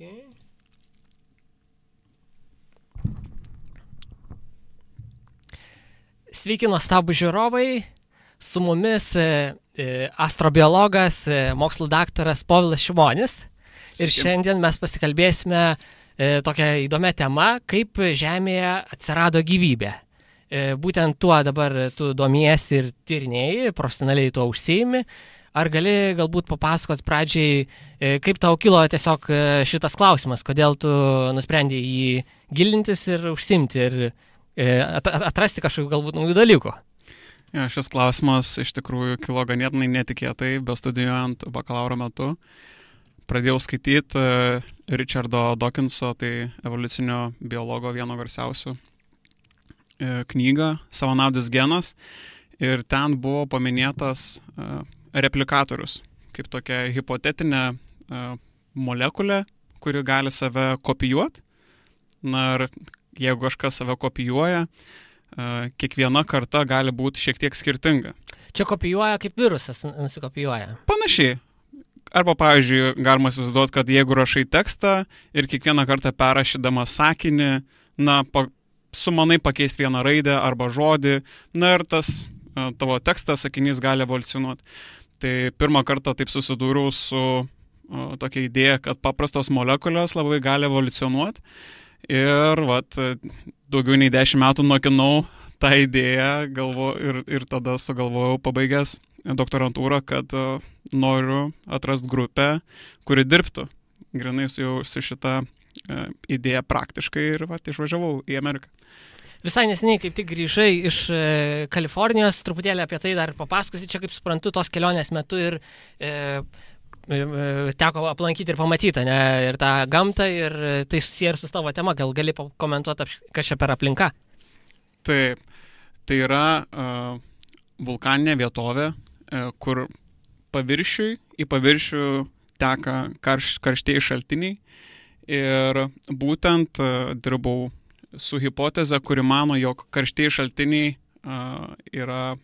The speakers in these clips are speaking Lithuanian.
Okay. Sveiki, nuostabų žiūrovai. Su mumis astrobiologas, mokslų daktaras Povilas Šimonis. Sveiki. Ir šiandien mes pasikalbėsime tokią įdomią temą, kaip Žemėje atsirado gyvybė. Būtent tuo dabar tu domiesi ir tyrinėjai, profesionaliai tuo užsiimi. Ar gali galbūt papasakot pradžiai, kaip tau kilo tiesiog šitas klausimas, kodėl tu nusprendei jį gilintis ir užsiimti ir atrasti kažkokių galbūt naujų dalykų? Ja, šis klausimas iš tikrųjų kilo ganėtinai netikėtai, bestudijuojant bakalauro metu. Pradėjau skaityti Richardo Dawkinso, tai evoliucinio biologo vieno garsiausių, knygą Savanaudis genas, ir ten buvo paminėtas replikatorius, kaip tokia hipotetinė molekulė, kuri gali save kopijuoti. Na ir jeigu kažkas save kopijuoja, kiekviena karta gali būti šiek tiek skirtinga. Čia kopijuoja kaip virusas nusikopijuoja? Panašiai. Arba, pavyzdžiui, galima įsivaizduoti, kad jeigu rašai tekstą ir kiekvieną kartą perrašydama sakinį, sumanai pakeisti vieną raidę arba žodį, na ir tas tavo tekstas, sakinys gali evoliucionuoti. Tai pirmą kartą taip susidūriau su tokia idėja, kad paprastos molekulės labai gali evoliucionuoti. Ir daugiau nei 10 metų nokinau tą idėją ir tada sugalvojau pabaigęs doktorantūrą, kad noriu atrasti grupę, kuri dirbtų grynai su šitą idėją praktiškai ir išvažiavau į Ameriką. Visai neseniai kaip tik grįžai iš Kalifornijos, truputėlį apie tai dar papasakosi, čia kaip suprantu tos kelionės metu ir teko aplankyti ir pamatyti, ne, ir tą gamtą, ir tai susiję ir su tavo tema, gal gali pakomentuoti, kas čia per aplinka? Taip, tai yra vulkaninė vietovė, kur į paviršių teka karštieji šaltiniai, ir būtent dirbau su hipoteze, kuri mano, jog karštieji šaltiniai yra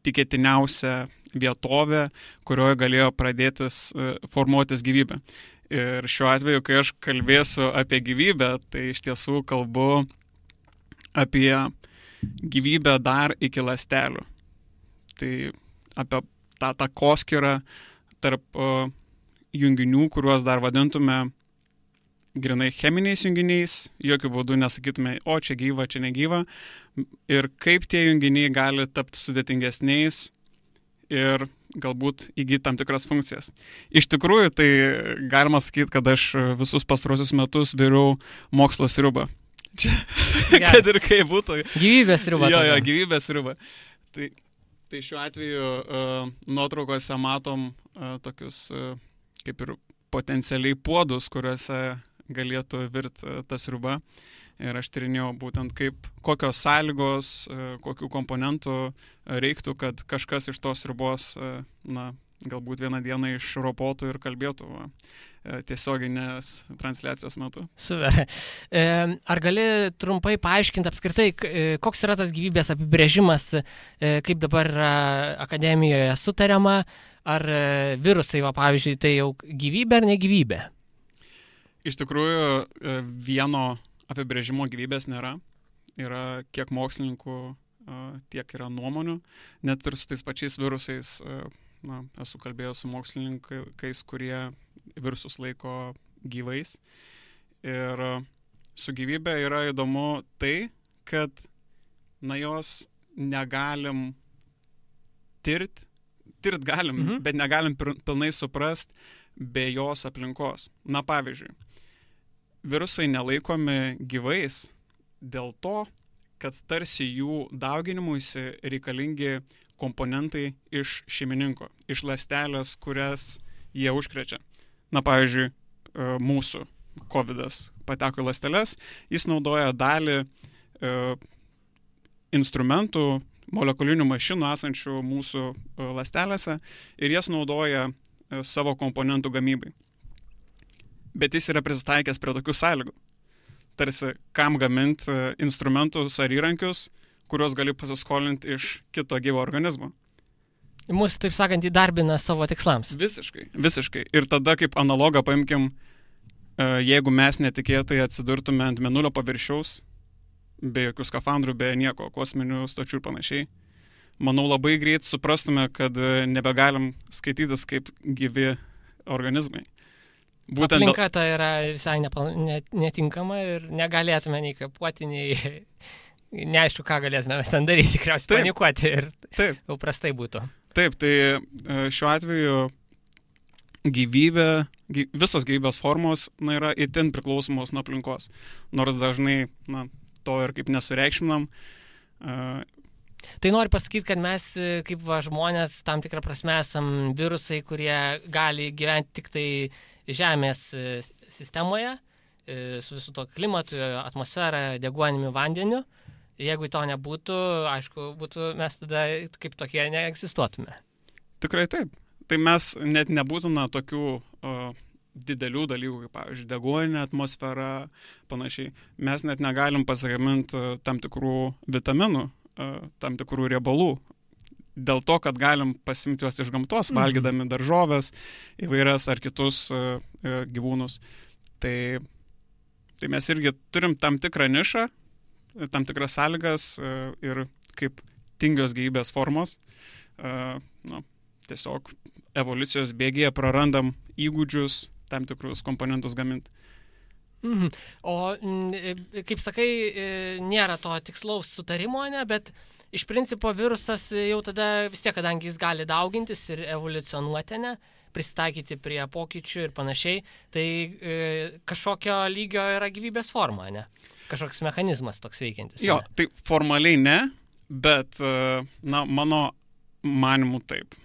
tikėtiniausia vietovė, kurioje galėjo pradėtis formuotis gyvybė. Ir šiuo atveju, kai aš kalbėsiu apie gyvybę, tai iš tiesų kalbu apie gyvybę dar iki ląstelių. Tai apie tą takoskyrą tarp junginių, kuriuos dar vadintume grinai cheminiais junginiais, jokių būdų nesakytume, o čia gyva, čia negyva, ir kaip tie junginiai gali tapti sudėtingesniais ir galbūt įgyti tam tikras funkcijas. Iš tikrųjų, tai galima sakyti, kad aš visus pastarosius metus viriau mokslo sriubą. Kad ir kaip būtų. Gyvybės sriuba. Jo, gyvybės sriuba. Tai šiuo atveju nuotraukose matom tokius kaip ir potencialiai puodus, kuriuose galėtų virti ta sriuba. Ir aš tyrinėjau būtent kokios sąlygos, kokių komponentų reiktų, kad kažkas iš tos sriubos, galbūt vieną dieną išropotų ir kalbėtų tiesioginės transliacijos metu. Super. Ar gali trumpai paaiškinti apskritai, koks yra tas gyvybės apibrėžimas, kaip dabar akademijoje sutariama, ar virusai, pavyzdžiui, tai jau gyvybė ar negyvybė? Iš tikrųjų, vieno apibrėžimo gyvybės nėra. Yra kiek mokslininkų, tiek yra nuomonių. Net ir su tais pačiais virusais, esu kalbėjęs su mokslininkais, kurie virusus laiko gyvais. Ir su gyvybė yra įdomu tai, kad jos negalim tirt galim, bet negalim pilnai suprast be jos aplinkos. Pavyzdžiui, virusai nelaikomi gyvais dėl to, kad tarsi jų dauginimuisi reikalingi komponentai iš šeimininko, iš ląstelės, kurias jie užkrečia. Pavyzdžiui, mūsų COVIDas pateko į ląsteles, jis naudoja dalį instrumentų, molekulinių mašinų esančių mūsų ląstelėse, ir jas naudoja savo komponentų gamybai. Bet jis yra prisitaikęs prie tokių sąlygų. Tarsi, kam gaminti instrumentus ar įrankius, kuriuos gali pasiskolinti iš kito gyvo organizmo. Mūsų, taip sakant, įdarbina savo tikslams. Visiškai. Ir tada kaip analogą paimkim jeigu mes netikėtai atsidurtume ant mėnulio paviršiaus, be jokių skafandrų, be nieko, kosminių stočių ir panašiai, manau labai greit suprastume, kad nebegalim skaitytis kaip gyvi organizmai. Būtent aplinka ta yra visai netinkama ir negalėtume nei kvėpuoti, nei neaišku, ką galėsime mes ten daryti, tikriausiai panikuoti ir jau prastai būtų. Taip, tai šiuo atveju visos gyvybės formos yra itin priklausomos nuo aplinkos. Nors dažnai to ir kaip nesureikšminam. Tai noriu pasakyti, kad mes kaip žmonės tam tikrą prasme esam virusai, kurie gali gyventi tik tai Žemės sistemoje, su visu to klimatu, atmosfera, deguonimi, vandeniu. Jeigu to nebūtų, aišku, mes tada kaip tokie neegzistuotume. Tikrai taip. Tai mes net nebūtume tokių didelių dalykų, kaip, pavyzdžiui, deguoninė atmosfera, panašiai. Mes net negalim pasigaminti tam tikrų vitaminų, tam tikrų riebalų. Dėl to, kad galim pasimti juos iš gamtos, valgydami daržoves, įvairias ar kitus gyvūnus. Tai mes irgi turim tam tikrą nišą, tam tikras sąlygas ir kaip tingios gyvybės formos. Tiesiog evoliucijos bėgyje prarandam įgūdžius tam tikrus komponentus gaminti. O, kaip sakai, nėra to tikslaus sutarimo, bet iš principo virusas jau tada vis tiek, kadangi jis gali daugintis ir evoliucionuoti, prisitaikyti prie pokyčių ir panašiai, tai kažkokio lygio yra gyvybės forma, kažkoks mechanizmas toks veikiantis. Jo, tai formaliai ne, bet mano manimu taip.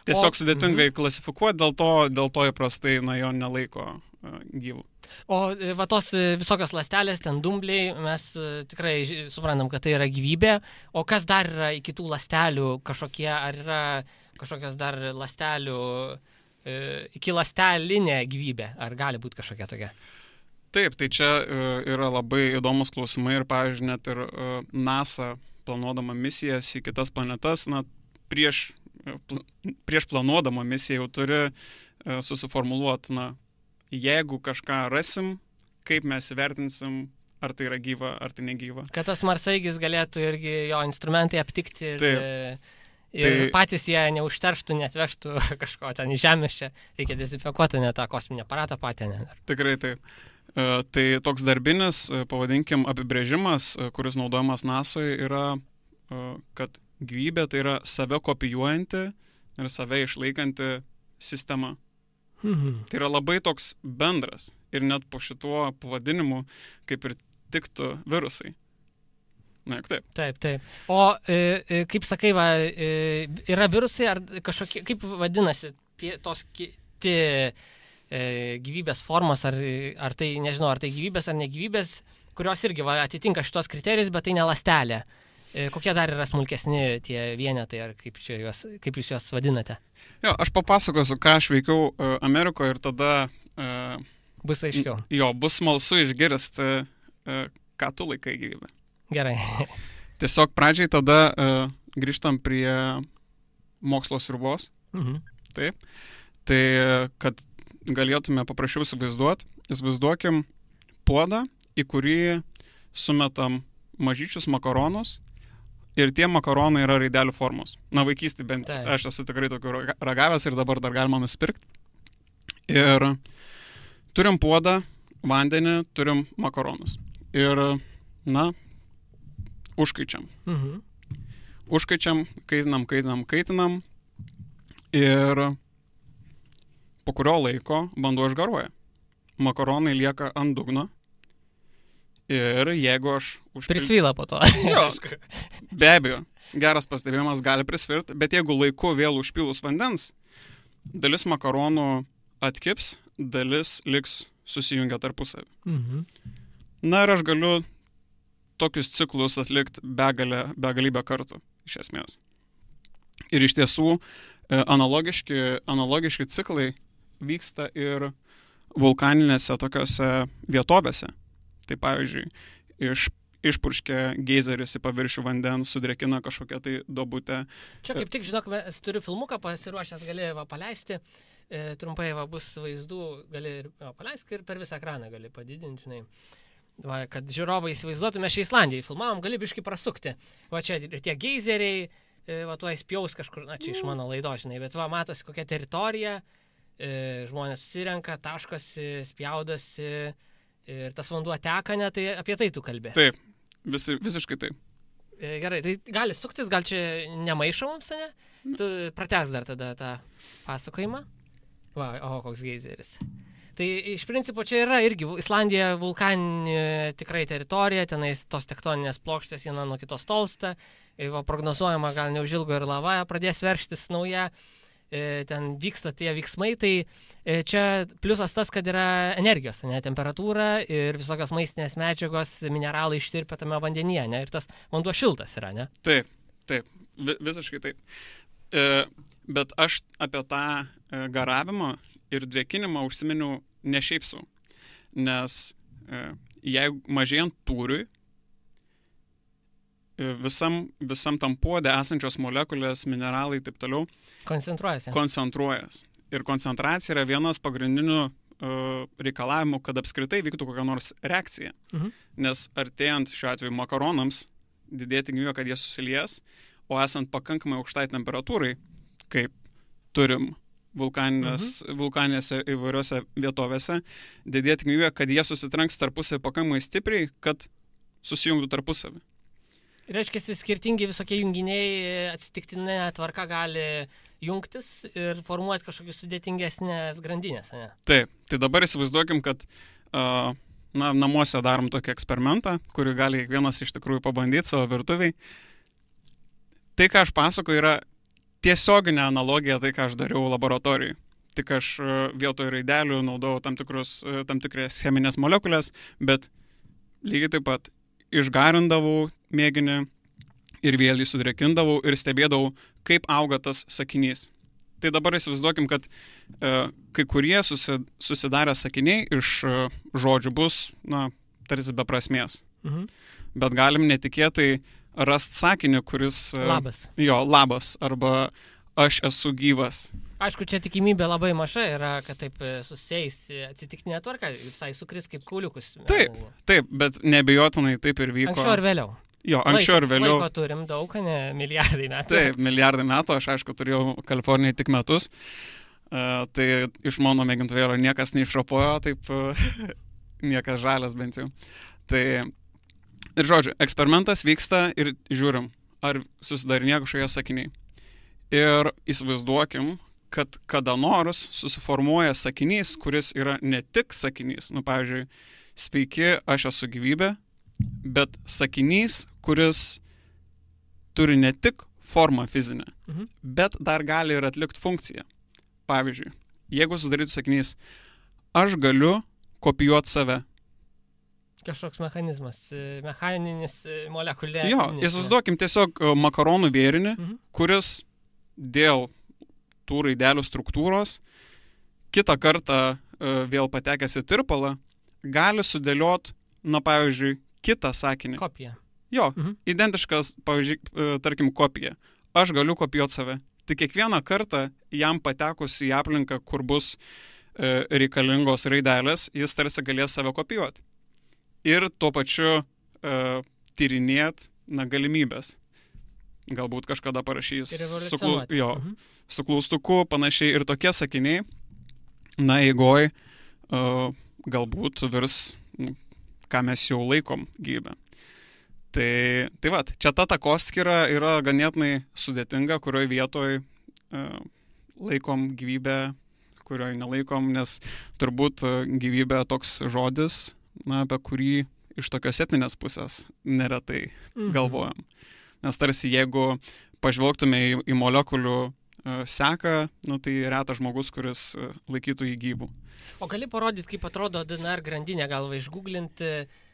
Tiesiog sudėtingai klasifikuoti, dėl to įprastai jo nelaiko gyvų. O va tos visokios ląstelės, ten dumbliai, mes tikrai suprantam, kad tai yra gyvybė. O kas dar yra iki tų ląstelių kažkokie, ar yra kažkokios dar ląstelių, iki ląstelinė gyvybė, ar gali būti kažkokia tokia? Taip, tai čia yra labai įdomus klausimai ir, pavyzdžiui, net ir NASA planuodama misijas į kitas planetas, prieš planuodama misiją jau turi susiformuluoti, jeigu kažką rasim, kaip mes įvertinsim, ar tai yra gyva, ar tai negyva. Kad tas marsaeigis galėtų irgi jo instrumentai aptikti ir patys jie neužterštų, netvežtų kažko ten į Žemės, čia reikia dezinfekuoti net tą kosminį aparatą patį. Tikrai taip. Tai toks darbinis, pavadinkim, apibrėžimas, kuris naudojamas NASOje, yra, kad gyvybė tai yra save kopijuojanti ir save išlaikanti sistema. Tai yra labai toks bendras ir net po šituo pavadinimu kaip ir tiktų virusai. Taip. Taip. O kaip sakai, yra virusai ar kažkokie, kaip vadinasi tos gyvybės formos, ar tai, nežinau, ar tai gyvybės ar negyvybės, kurios irgi atitinka šitos kriterijus, bet tai ne ląstelė. Kokie dar yra smulkesni tie vienetai, ar kaip jūs juos vadinate? Jo, aš papasakosiu, ką aš veikiau Amerikoje ir tada bus aiškiau. Jo, bus smalsu išgirsti, ką tu laikai gyvybę. Gerai. Tiesiog pradžiai tada grįžtam prie mokslo sriubos. Taip. Tai, kad galėtume paprasčiau įsivaizduokim puodą, į kurį sumetam mažyčius makaronus. Ir tie makaronai yra raidelių formos. Vaikystėje bent aš esu tikrai tokių ragavęs ir dabar dar galima nusipirkti. Ir turim puodą, vandenį, turim makaronus. Ir, užkaičiam. Užkaičiam, kaitinam. Ir po kurio laiko vanduo išgaruoja. Makaronai lieka ant dugno. Ir jeigu aš prisvyla po to. Jo, be abejo, geras pastebėjimas gali prisvirti, bet jeigu laiku vėl užpilus vandens, dalis makaronų atkips, dalis liks susijungę tarpusavį. Ir aš galiu tokius ciklus atlikti begalybę kartų, iš esmės. Ir iš tiesų analogiški ciklai vyksta ir vulkaninėse tokiose vietovėse. Tai pavyzdžiui, išpurškia geizeris į paviršių vandens, sudrėkina kažkokią tai duobutę. Čia kaip tik, žinok, turiu filmuką pasiruošęs, galėjau paleisti. trumpai bus vaizdų, gali ir paleisti ir per visą ekraną gali padidinti, žinai. Va, kad žiūrovai įsivaizduotume, šią Islandiją filmavom, gali biškai prasukti. Va čia ir tie geizeriai, va tuo įspjaus kažkur, na čia iš mano laido, žinai, bet va matosi kokia teritorija, žmonės susirenka, taškosi, spjaudosi ir tas vanduo teka, ne, tai apie tai tu kalbė. Taip, visiškai taip. Gerai, tai gali suktis, gal čia nemaišo mums, ne? Tu pratęs dar tada tą pasakojimą. Va, koks geizeris. Tai iš principo čia yra irgi Islandija vulkaninė tikrai teritorija, tenais tos tektoninės plokštės viena nuo kitos tolsta, va, prognozuojama gal neužilgo ir lava pradės verštis nauja, ten vyksta tie veiksmai, tai čia pliusas tas, kad yra energijos, ne, temperatūra ir visokios maistinės medžiagos, mineralai ištirpia tame vandenyje, ne, ir tas vanduo šiltas yra, ne? Taip, visiškai taip. Bet aš apie tą garavimą ir drėkinimą užsiminiau ne šiaip sau, nes jeigu mažėjant tūriui, visam tam puode esančios molekulės, mineralai ir taip toliau koncentruojas. Ir koncentracija yra vienas pagrindinių reikalavimų, kad apskritai vyktų kokia nors reakcija. Nes artėjant šiuo atveju makaronams didėti tikimybė, kad jie susilies, o esant pakankamai aukštai temperatūrai, kaip turim vulkaninėse įvairiose vietovėse, didėti tikimybė, kad jie susitranks tarpusavį pakankamai stipriai, kad susijungtų tarpusavį. Reiškia, skirtingi visokie junginiai atsitiktinė tvarka gali jungtis ir formuoti kažkokius sudėtingesnės grandinės, ne? Taip, tai dabar įsivaizduokim, kad namuose darom tokį eksperimentą, kurį gali kiekvienas iš tikrųjų pabandyti savo virtuviai. Tai, ką aš pasakoju, yra tiesioginė analogija tai, ką aš dariau laboratorijai. Tik aš vietoj raidelių naudojau tam tikras cheminės molekulės, bet lygiai taip pat išgarindavau mėginį ir vėl jį sudrėkindavau ir stebėdavau, kaip auga tas sakinys. Tai dabar įsivaizduokim, kad kai kurie susidarę sakiniai iš žodžių bus, tarsi be prasmės. Bet galim netikėtai rast sakinį, kuris... Labas. Jo, labas, arba aš esu gyvas. Aišku, čia tikimybė labai maža yra, kad taip susieis atsitiktinė tvarka, visai sukris kaip kauliukus. Taip, bet neabejotinai taip ir vyko. Anksčiau ir vėliau. Jo, anksčiau ir vėliau. Laiko turim daug, ne milijardai metų. Taip, milijardai metų, aš aišku turėjau Kalifornijai tik metus, tai iš mano mėgintuvėlio niekas neišropojo, taip niekas žalias bent jau. Tai ir žodžiu, eksperimentas vyksta ir žiūrim, ar susidarinėja kažkokie sakiniai. Ir įsivaizduokim, kad kada nors susiformuoja sakinys, kuris yra ne tik sakinys, pavyzdžiui, sveiki, aš esu gyvybė, bet sakinys, kuris turi ne tik formą fizinę, bet dar gali ir atlikti funkciją. Pavyzdžiui, jeigu sudarytų sakinys, aš galiu kopijuoti save. Kažkoks mechanizmas, mechaninis molekulė. Jo, įsivaizduokim tiesiog makaronų vėrinį, kuris dėl tų raidelių struktūros kitą kartą vėl patekęs į tirpalą gali sudėliot, pavyzdžiui, kitą sakinį. Kopiją. Jo, identiškas, pavyzdžiui, tarkim, kopija. Aš galiu kopijuoti save. Tai kiekvieną kartą jam patekus į aplinką, kur bus reikalingos raidelės, jis tarsi galės save kopijuoti. Ir tuo pačiu tyrinėt galimybės. Galbūt kažkada parašys su klaustuku, panašiai ir tokie sakiniai, eigoj galbūt virs, ką mes jau laikom gyvybę. Tai vat, čia ta takoskyra yra ganėtinai sudėtinga, kurioje vietoje laikom gyvybę, kurioje nelaikom, nes turbūt gyvybė toks žodis, apie kurį iš tokios etninės pusės neretai galvojam. Nes tarsi jeigu pažvelgtume į molekulių seką, tai retas žmogus, kuris laikytų jį gyvų. O gali parodyti, kaip atrodo DNR grandinė, gal išgooglinti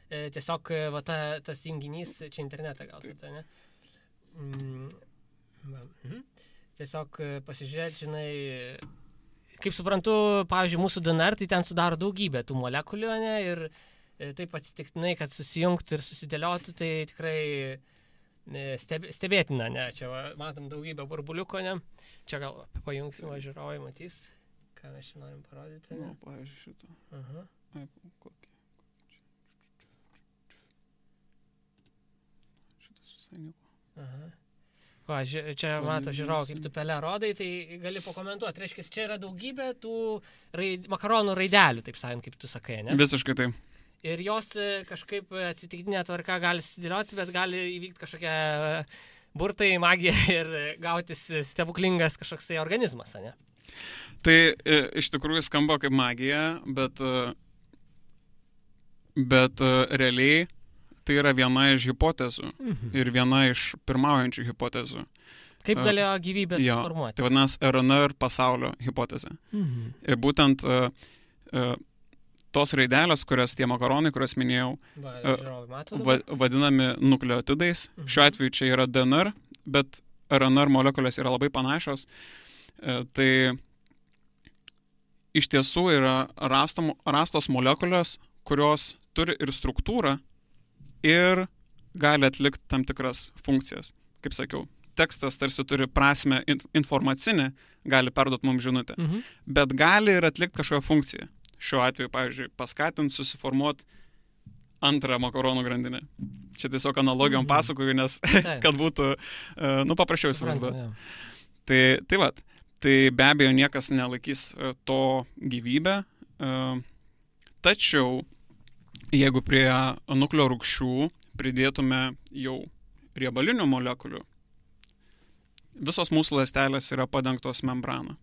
tiesiog tas junginys, čia internetą gal tai, ne? Tiesiog pasižiūrėti, žinai, kaip suprantu, pavyzdžiui, mūsų DNR, tai ten sudaro daugybę tų molekulių, ne? Ir taip atsitiktinai, kad susijungtų ir susidėliotų, tai tikrai stebėtina, ne? Čia matom daugybę burbuliuko, ne? Čia gal pajungsim, žiūrovai matys, ką mes čia norim parodyti. Nu, pavyzdžiui, šitą. Aha. Kokį. Šitas visai nieko. Aha. Va, čia mato žiūrovą, kaip tu pelę rodai, tai gali pakomentuoti. Reiškia, čia yra daugybė tų makaronų raidelių, taip sakant, kaip tu sakai, ne? Visiškai taip. Ir jos kažkaip atsitiktinė tvarka gali sudėlioti, bet gali įvykti kažkokia burtai, magija ir gautis stebuklingas kažkoksai organizmas, ne? Tai iš tikrųjų skamba kaip magija, bet realiai tai yra viena iš hipotezų ir viena iš pirmaujančių hipotezių. Kaip galėjo gyvybės formuoti? Tai vadinasi RNR pasaulio hipotezė. Ir būtent tos raidelės, kurias tie makaronai, kurias minėjau, vadinami nukleotidais. Šiuo atveju čia yra DNR, bet RNR molekulės yra labai panašios. Tai iš tiesų yra rastos molekulės, kurios turi ir struktūrą ir gali atlikti tam tikras funkcijas. Kaip sakiau, tekstas tarsi turi prasmę informacinę, gali perduoti mums žinutę, bet gali ir atlikti kažkokią funkciją. Šiuo atveju, pavyzdžiui, paskatinti susiformuoti antrą makaronų grandinę. Čia tiesiog analogijom pasakoju, nes kad būtų, paprasčiau įsivaizduoti. Tai vat, tai be abejo niekas nelaikys to gyvybę, tačiau jeigu prie nukleo rūgščių pridėtume jau riebalinių molekulių, visos mūsų ląstelės yra padengtos membrana.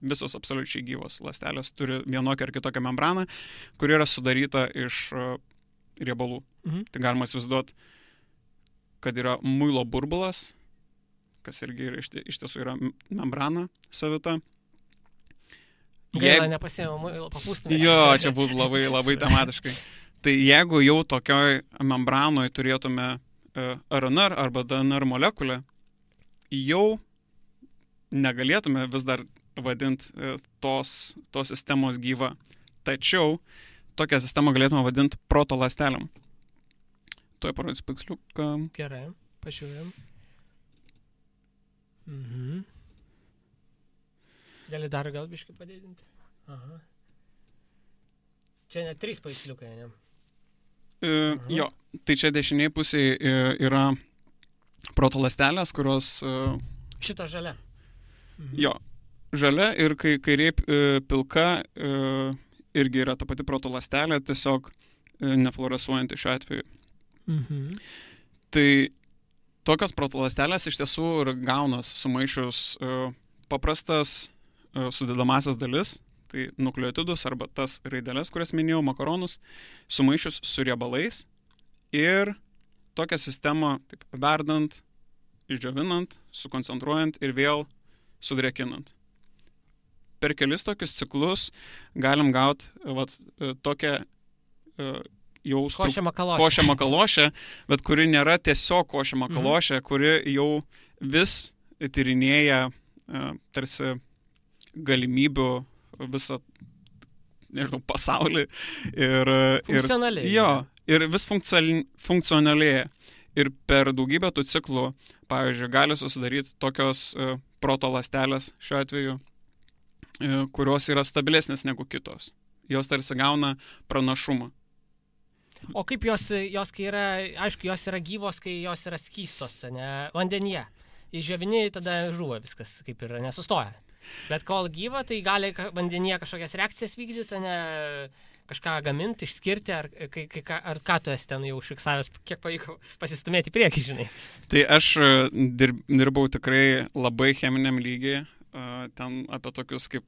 Visos absoliučiai gyvos ląstelės turi vienokią ar kitokią membraną, kuri yra sudaryta iš riebalų. Tai galima įsivaizduoti, kad yra muilo burbulas, kas irgi iš tiesų yra membrana savita. Gaila, nepasėmė muilo, papūstume. Jo, čia būtų labai, labai tematiškai. Tai jeigu jau tokioj membranoje turėtume RNR arba DNR molekulę, jau negalėtume vis dar vadinti tos sistemos gyva. Tačiau tokią sistemą galėtume vadinti protoląstelėm. Tuoj parodys paveiksliuką. Gerai, pažiūrėjom. Gali dar gal biškį padidinti. Aha. Čia net 3 paveiksliukai, ne? Jo, tai čia dešiniai pusėje yra protoląstelės, kurios... Šita žalia. Jo, žalia ir kairė pilka irgi yra ta pati protoląstelė, tiesiog nefluorescuojanti šiuo atveju. Tai tokios protoląstelės iš tiesų ir gaunas sumaišius paprastas sudedamasias dalis, tai nukleotidus arba tas raideles, kurias minėjau, makaronus, sumaišius su riebalais ir tokią sistemą taip, verdant, išdžiovinant, sukoncentruojant ir vėl sudrėkinant. Per kelis tokius ciklus galim gauti tokią jau košę makalošę, bet kuri nėra tiesiog košė makalošė, kuri jau vis tyrinėja tarsi galimybių visą, nežinau, pasaulį ir funkcionaliai. Jo, ir vis funkcionalėja. Ir per daugybę tų ciklų, pavyzdžiui, gali susidaryti tokios protoląstelės šiuo atveju, kurios yra stabilesnės negu kitos. Jos tarsi gauna pranašumą. O kaip jos kai yra, aišku, jos yra gyvos, kai jos yra skystos, ne, vandenyje. Išdžiovini, tada žuva viskas, kaip ir nesustoja. Bet kol gyva, tai gali vandenyje kažkokias reakcijas vykdyti, ne kažką gaminti, išskirti, ar ką tu esi ten jau užfiksavęs, kiek pavyko pasistumėti į priekį, žinai. Tai aš dirbau tikrai labai cheminiam lygiai, ten apie tokius kaip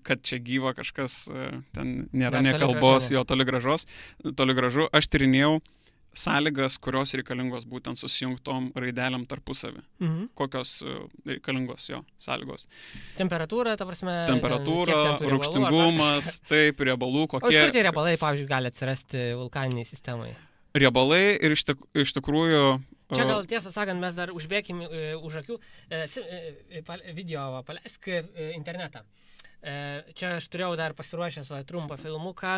kad čia gyva kažkas, ten nėra ne kalbos, jo toli gražu. Aš tyrinėjau sąlygas, kurios reikalingos būtent susijungtom raidelėm tarpusavį. Kokios reikalingos jo sąlygos. Temperatūra, ta prasme. Temperatūra, rūgštingumas, taip, riebalų, kokie. O iš kur tie riebalai, pavyzdžiui, gali atsirasti vulkaniniai sistemai? Riebalai ir iš tikrųjų... Čia gal tiesą sakant, mes dar užbėkim už akių. Video paleisk internetą. Čia aš turėjau dar pasiruošęs trumpą filmuką,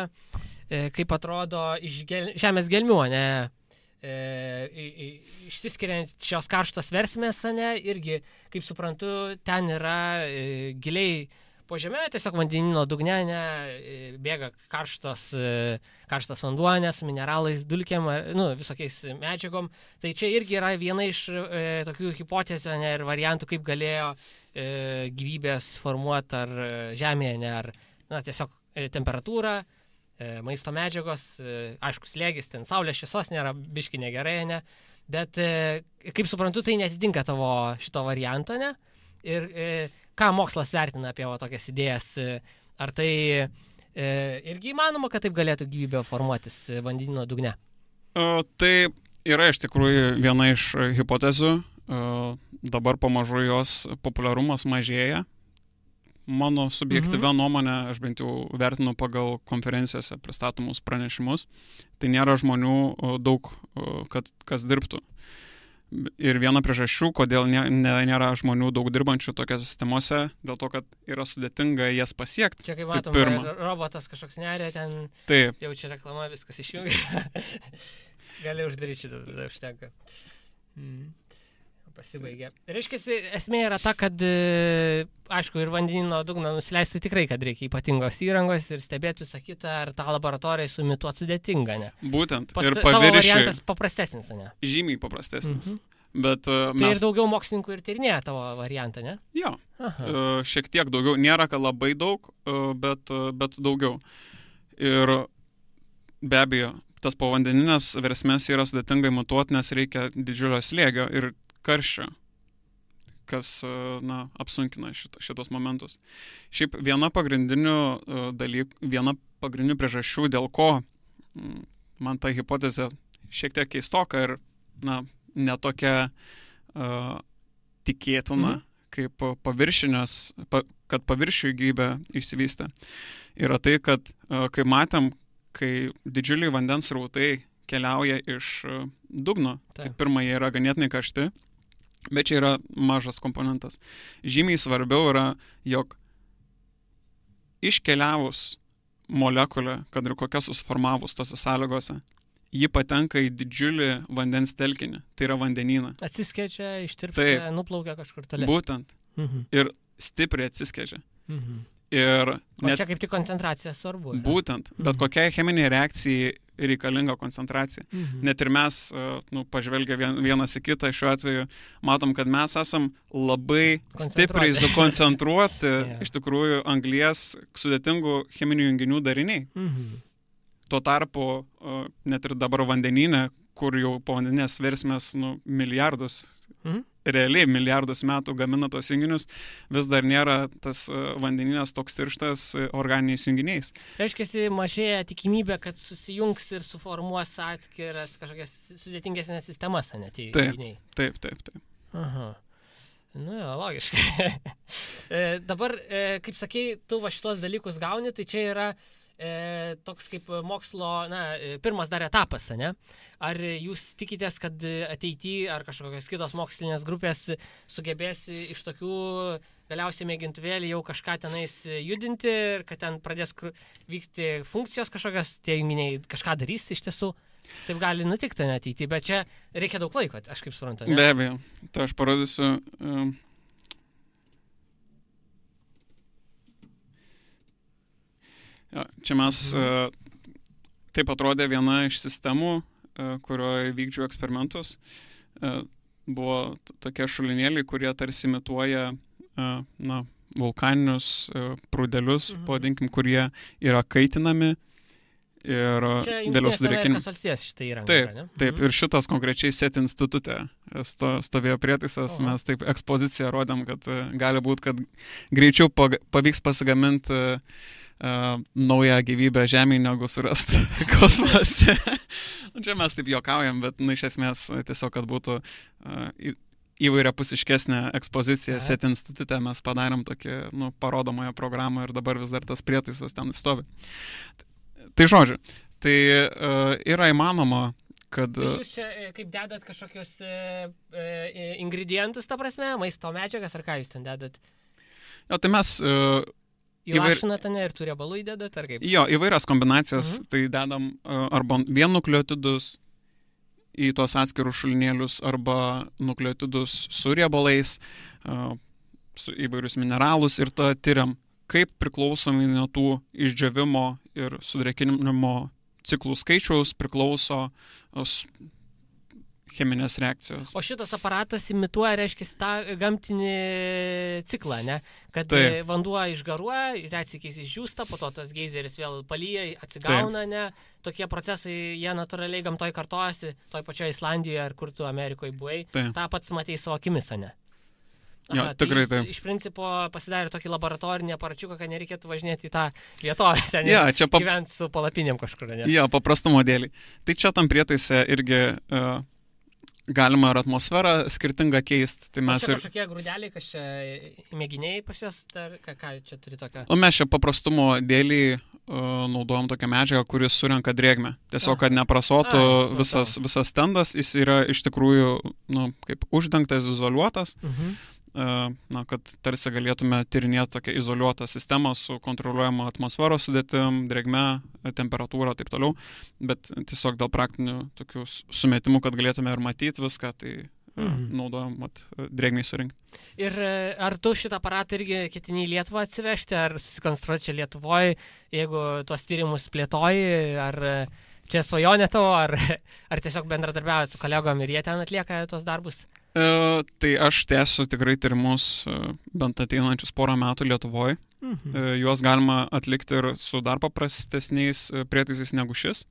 kaip atrodo iš žemės gelmių, ne, išsiskiriant šios karštos versmės, ne, irgi, kaip suprantu, ten yra giliai po žemė, tiesiog vandenyno dugne bėga karštas vanduo, su mineralais, dulkėm, visokiais medžiagom. Tai čia irgi yra viena iš tokių hipotezių ir variantų, kaip galėjo gyvybės formuoti ar žemėje, ar tiesiog temperatūra, maisto medžiagos, aišku, slėgis, ten saulės šviesos nėra, biški negerai, ne? Bet, kaip suprantu, tai netitinka tavo šito varianto, ne? Ir ką mokslas vertina apie tokias idėjas? Ar tai irgi įmanoma, kad taip galėtų gyvybė formuotis vandenyno dugne? Tai yra iš tikrųjų viena iš hipotezių. Dabar pamažu jos populiarumas mažėja. Mano subjektyvia nuomonė, aš bent jau vertinu pagal konferencijose pristatomus pranešimus, tai nėra žmonių daug, kas dirbtų. Ir viena priežasčių, kodėl nėra žmonių daug dirbančių tokiose sistemose, dėl to, kad yra sudėtinga jas pasiekti. Čia kaip matom, robotas kažkoks nerė, ten taip. Jau čia reklama, viskas išjungia. Gali uždaryti šitą, tada užtenka. Pasibaigė. Reiškia, esmė yra ta, kad, aišku, ir vandenyno dugną nusileisti tikrai, kad reikia ypatingos įrangos ir stebėti visą kitą, ar tą laboratoriją sumituoti sudėtinga, ne? Būtent. Ir tavo variantas paprastesnis, ne? Žymiai paprastesnis. Bet, tai ir daugiau mokslininkų ir tyrinėja tavo variantą, ne? Jo. Šiek tiek daugiau. Nėra, kad labai daug, bet daugiau. Ir be abejo, tas povandeninės versmės yra sudėtingai matuoti, nes reikia didžiulio slėgio ir karščio, kas apsunkina šitos momentus. Šiaip viena pagrindinių priežasčių, dėl ko man ta hipotezė šiek tiek keistoka ir netokia tikėtina, kaip kad paviršių gyvybė išsivystė, yra tai, kad kaip matėm, kai didžiuliai vandens srautai keliauja iš dugno, tai pirma, jie yra ganėtinai karšti, bet čia yra mažas komponentas. Žymiai svarbiau yra, jog iškeliavus molekulę, kad ir kokia susiformavus tose sąlygose, ji patenka į didžiulį vandens telkinį, tai yra vandenyną. Atsiskečia, ištirpsta, nuplaukia kažkur toliau. Būtent. Ir stipriai atsiskečia. Ir čia kaip tik koncentracija svarbu. Būtent. Bet kokiai cheminiai reakcijai reikalinga koncentracija. Net ir mes, pažvelgę vienas į kitą šiuo atveju, matom, kad mes esam labai stipriai sukoncentruoti iš tikrųjų anglies sudėtingų cheminių junginių dariniai. Tuo tarpu, net ir dabar vandenyne, kur jau povandeninės versmės milijardus, realiai milijardus metų gamina tos junginius, vis dar nėra tas vandenynas toks tirštas organiniais junginiais. Reiškia, mažėja tikimybė, kad susijungs ir suformuos atskiras kažkokias sudėtingesnės sistemas, ne tie junginiai. Taip. Aha. Logiškai. Dabar, kaip sakei, tu šitos dalykus gauni, tai čia yra toks kaip mokslo, pirmas dar etapas, ne? Ar jūs tikitės, kad ateityje ar kažkokios kitos mokslinės grupės sugebės iš tokių galiausiai mėgintuvėlį jau kažką tenais judinti ir kad ten pradės vykti funkcijos kažkokios, tie junginiai kažką darys iš tiesų? Taip gali nutikti ateityje, bet čia reikia daug laiko, aš kaip suprantu, ne? Be abejo, tai aš parodysiu. Čia mes, taip atrodė viena iš sistemų, kurioje vykdžiau eksperimentus. Buvo tokie šulinėliai, kurie tarsi imituoja vulkaninius prūdelius, pavadinkim, kurie yra kaitinami ir vėliau sudrėkinami. Čia Jungtinės šitai įranga. Taip, ir šitas konkrečiai SET institute stovėjo prietaisas, mes taip ekspoziciją rodėm, kad gali būti, kad greičiau pavyks pasigaminti naują gyvybę Žemėje negu surasti kosmose. Čia mes taip juokaujam, bet iš esmės tiesiog, kad būtų įvairiapusiškesnė ekspozicija SET institute, mes padarėm tokį parodomąją programą ir dabar vis dar tas prietaisas ten stovi. Tai žodžiu, tai yra įmanoma, kad... Tai jūs čia kaip dedat kažkokius ingredientus, ta prasme, maisto medžiagas, ar ką jūs ten dedat? Jo, tai mes... Įlašinat, ir tų riebalų įdedat, ar kaip? Jo, įvairias kombinacijas, tai dedam arba vien nukleotidus į tos atskirus šulinėlius, arba nukleotidus su riebalais, su įvairius mineralus ir tada tyriam, kaip priklausomai nuo tų išdžiovimo ir sudrėkinimo ciklų skaičiaus priklauso cheminės reakcijos. O šitas aparatas imituoja, reiškia, tą gamtinį ciklą, ne? Kad vanduo išgaruoja, retsykiais išdžiūsta, po to tas geizeris vėl palyja, atsigauna, ne? Tokie procesai, jie natūraliai gamtoj kartojasi, toj pačioje Islandijoje ar kur tu Amerikoje buvai, tą pats matei savo akimis, ne? Jo, tikrai taip. Iš principo pasidarė tokį laboratorinį aparačiuką, kad nereikėtų važinėti į tą vietovę, ten gyventi su palapinėm kažkur, ne? Jo, paprastumo dėlį. Tai čia tam prietaise irgi galima ir atmosferą skirtingą keisti. Tai mes ir kažkokie grūdeliai, kas čia mėginiai pas jas, ką čia turi tokią? O mes čia paprastumo dėlį naudojam tokią medžiagą, kuris surenka drėgmę. Tiesiog, kad neprasotų visas stendas, jis yra iš tikrųjų kaip uždengtas, izoliuotas. Kad tarsi galėtume tyrinėti tokią izoliuotą sistemą su kontroliuojama atmosferos sudėtim, drėgme, temperatūra, taip toliau, bet tiesiog dėl praktinių tokių sumetimų, kad galėtume ir matyti viską, tai naudojam drėgmiai surinkti. Ir ar tu šitą aparatą irgi ketini į Lietuvą atsivežti, ar susikonstruoti čia Lietuvoje, jeigu tuos tyrimus plėtoji, ar čia svajonė tavo, ar tiesiog bendradarbiauji su kolegom ir jie ten atlieka tos darbus? Tai aš tęsiu tikrai tyrimus bent ateinančius porą metų Lietuvoje. Juos galima atlikti ir su dar paprastesniais prietaisais negu šis.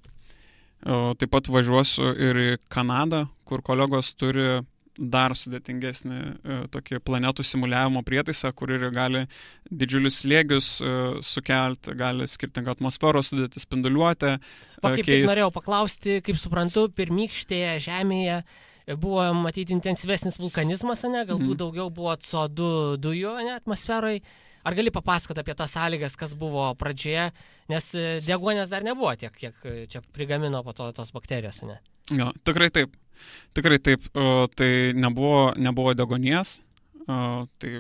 Taip pat važiuosiu ir į Kanadą, kur kolegos turi dar sudėtingesnį tokį planetų simuliavimo prietaisą, kur ir gali didžiulius slėgius sukelti, gali skirtingą atmosferos sudėti, spinduliuotę. Kaip tik norėjau paklausti, kaip suprantu, pirmykštėje Žemėje buvo matyti intensyvesnis vulkanizmas, ne? Galbūt daugiau buvo CO2 dujų, ne, atmosferoje. Ar gali papasakoti apie tas sąlygas, kas buvo pradžioje, nes deguonies dar nebuvo tiek, kiek čia prigamino po to tos bakterijos, ne? Jo, tikrai taip. Tikrai taip. Tai nebuvo deguonies. Tai...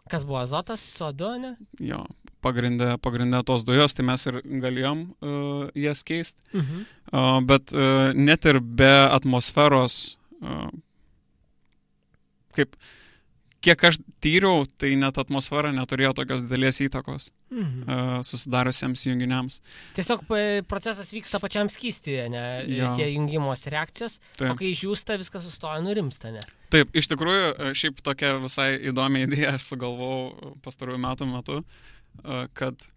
Kas buvo azotas, CO2, ne? Jo, pagrindė tos dujos, tai mes ir galėjom jas keisti. Bet net ir be atmosferos kiek aš tyriau, tai net atmosfera neturėjo tokios didelės įtakos susidariusiems junginiams. Tiesiog procesas vyksta pačiam skystyje, ne? Tie jungimos reakcijos, o kai išjūsta, viskas sustoja, nurimsta, ne? Taip, iš tikrųjų, šiaip tokia visai įdomi idėja aš sugalvojau pastarųjų metų, kad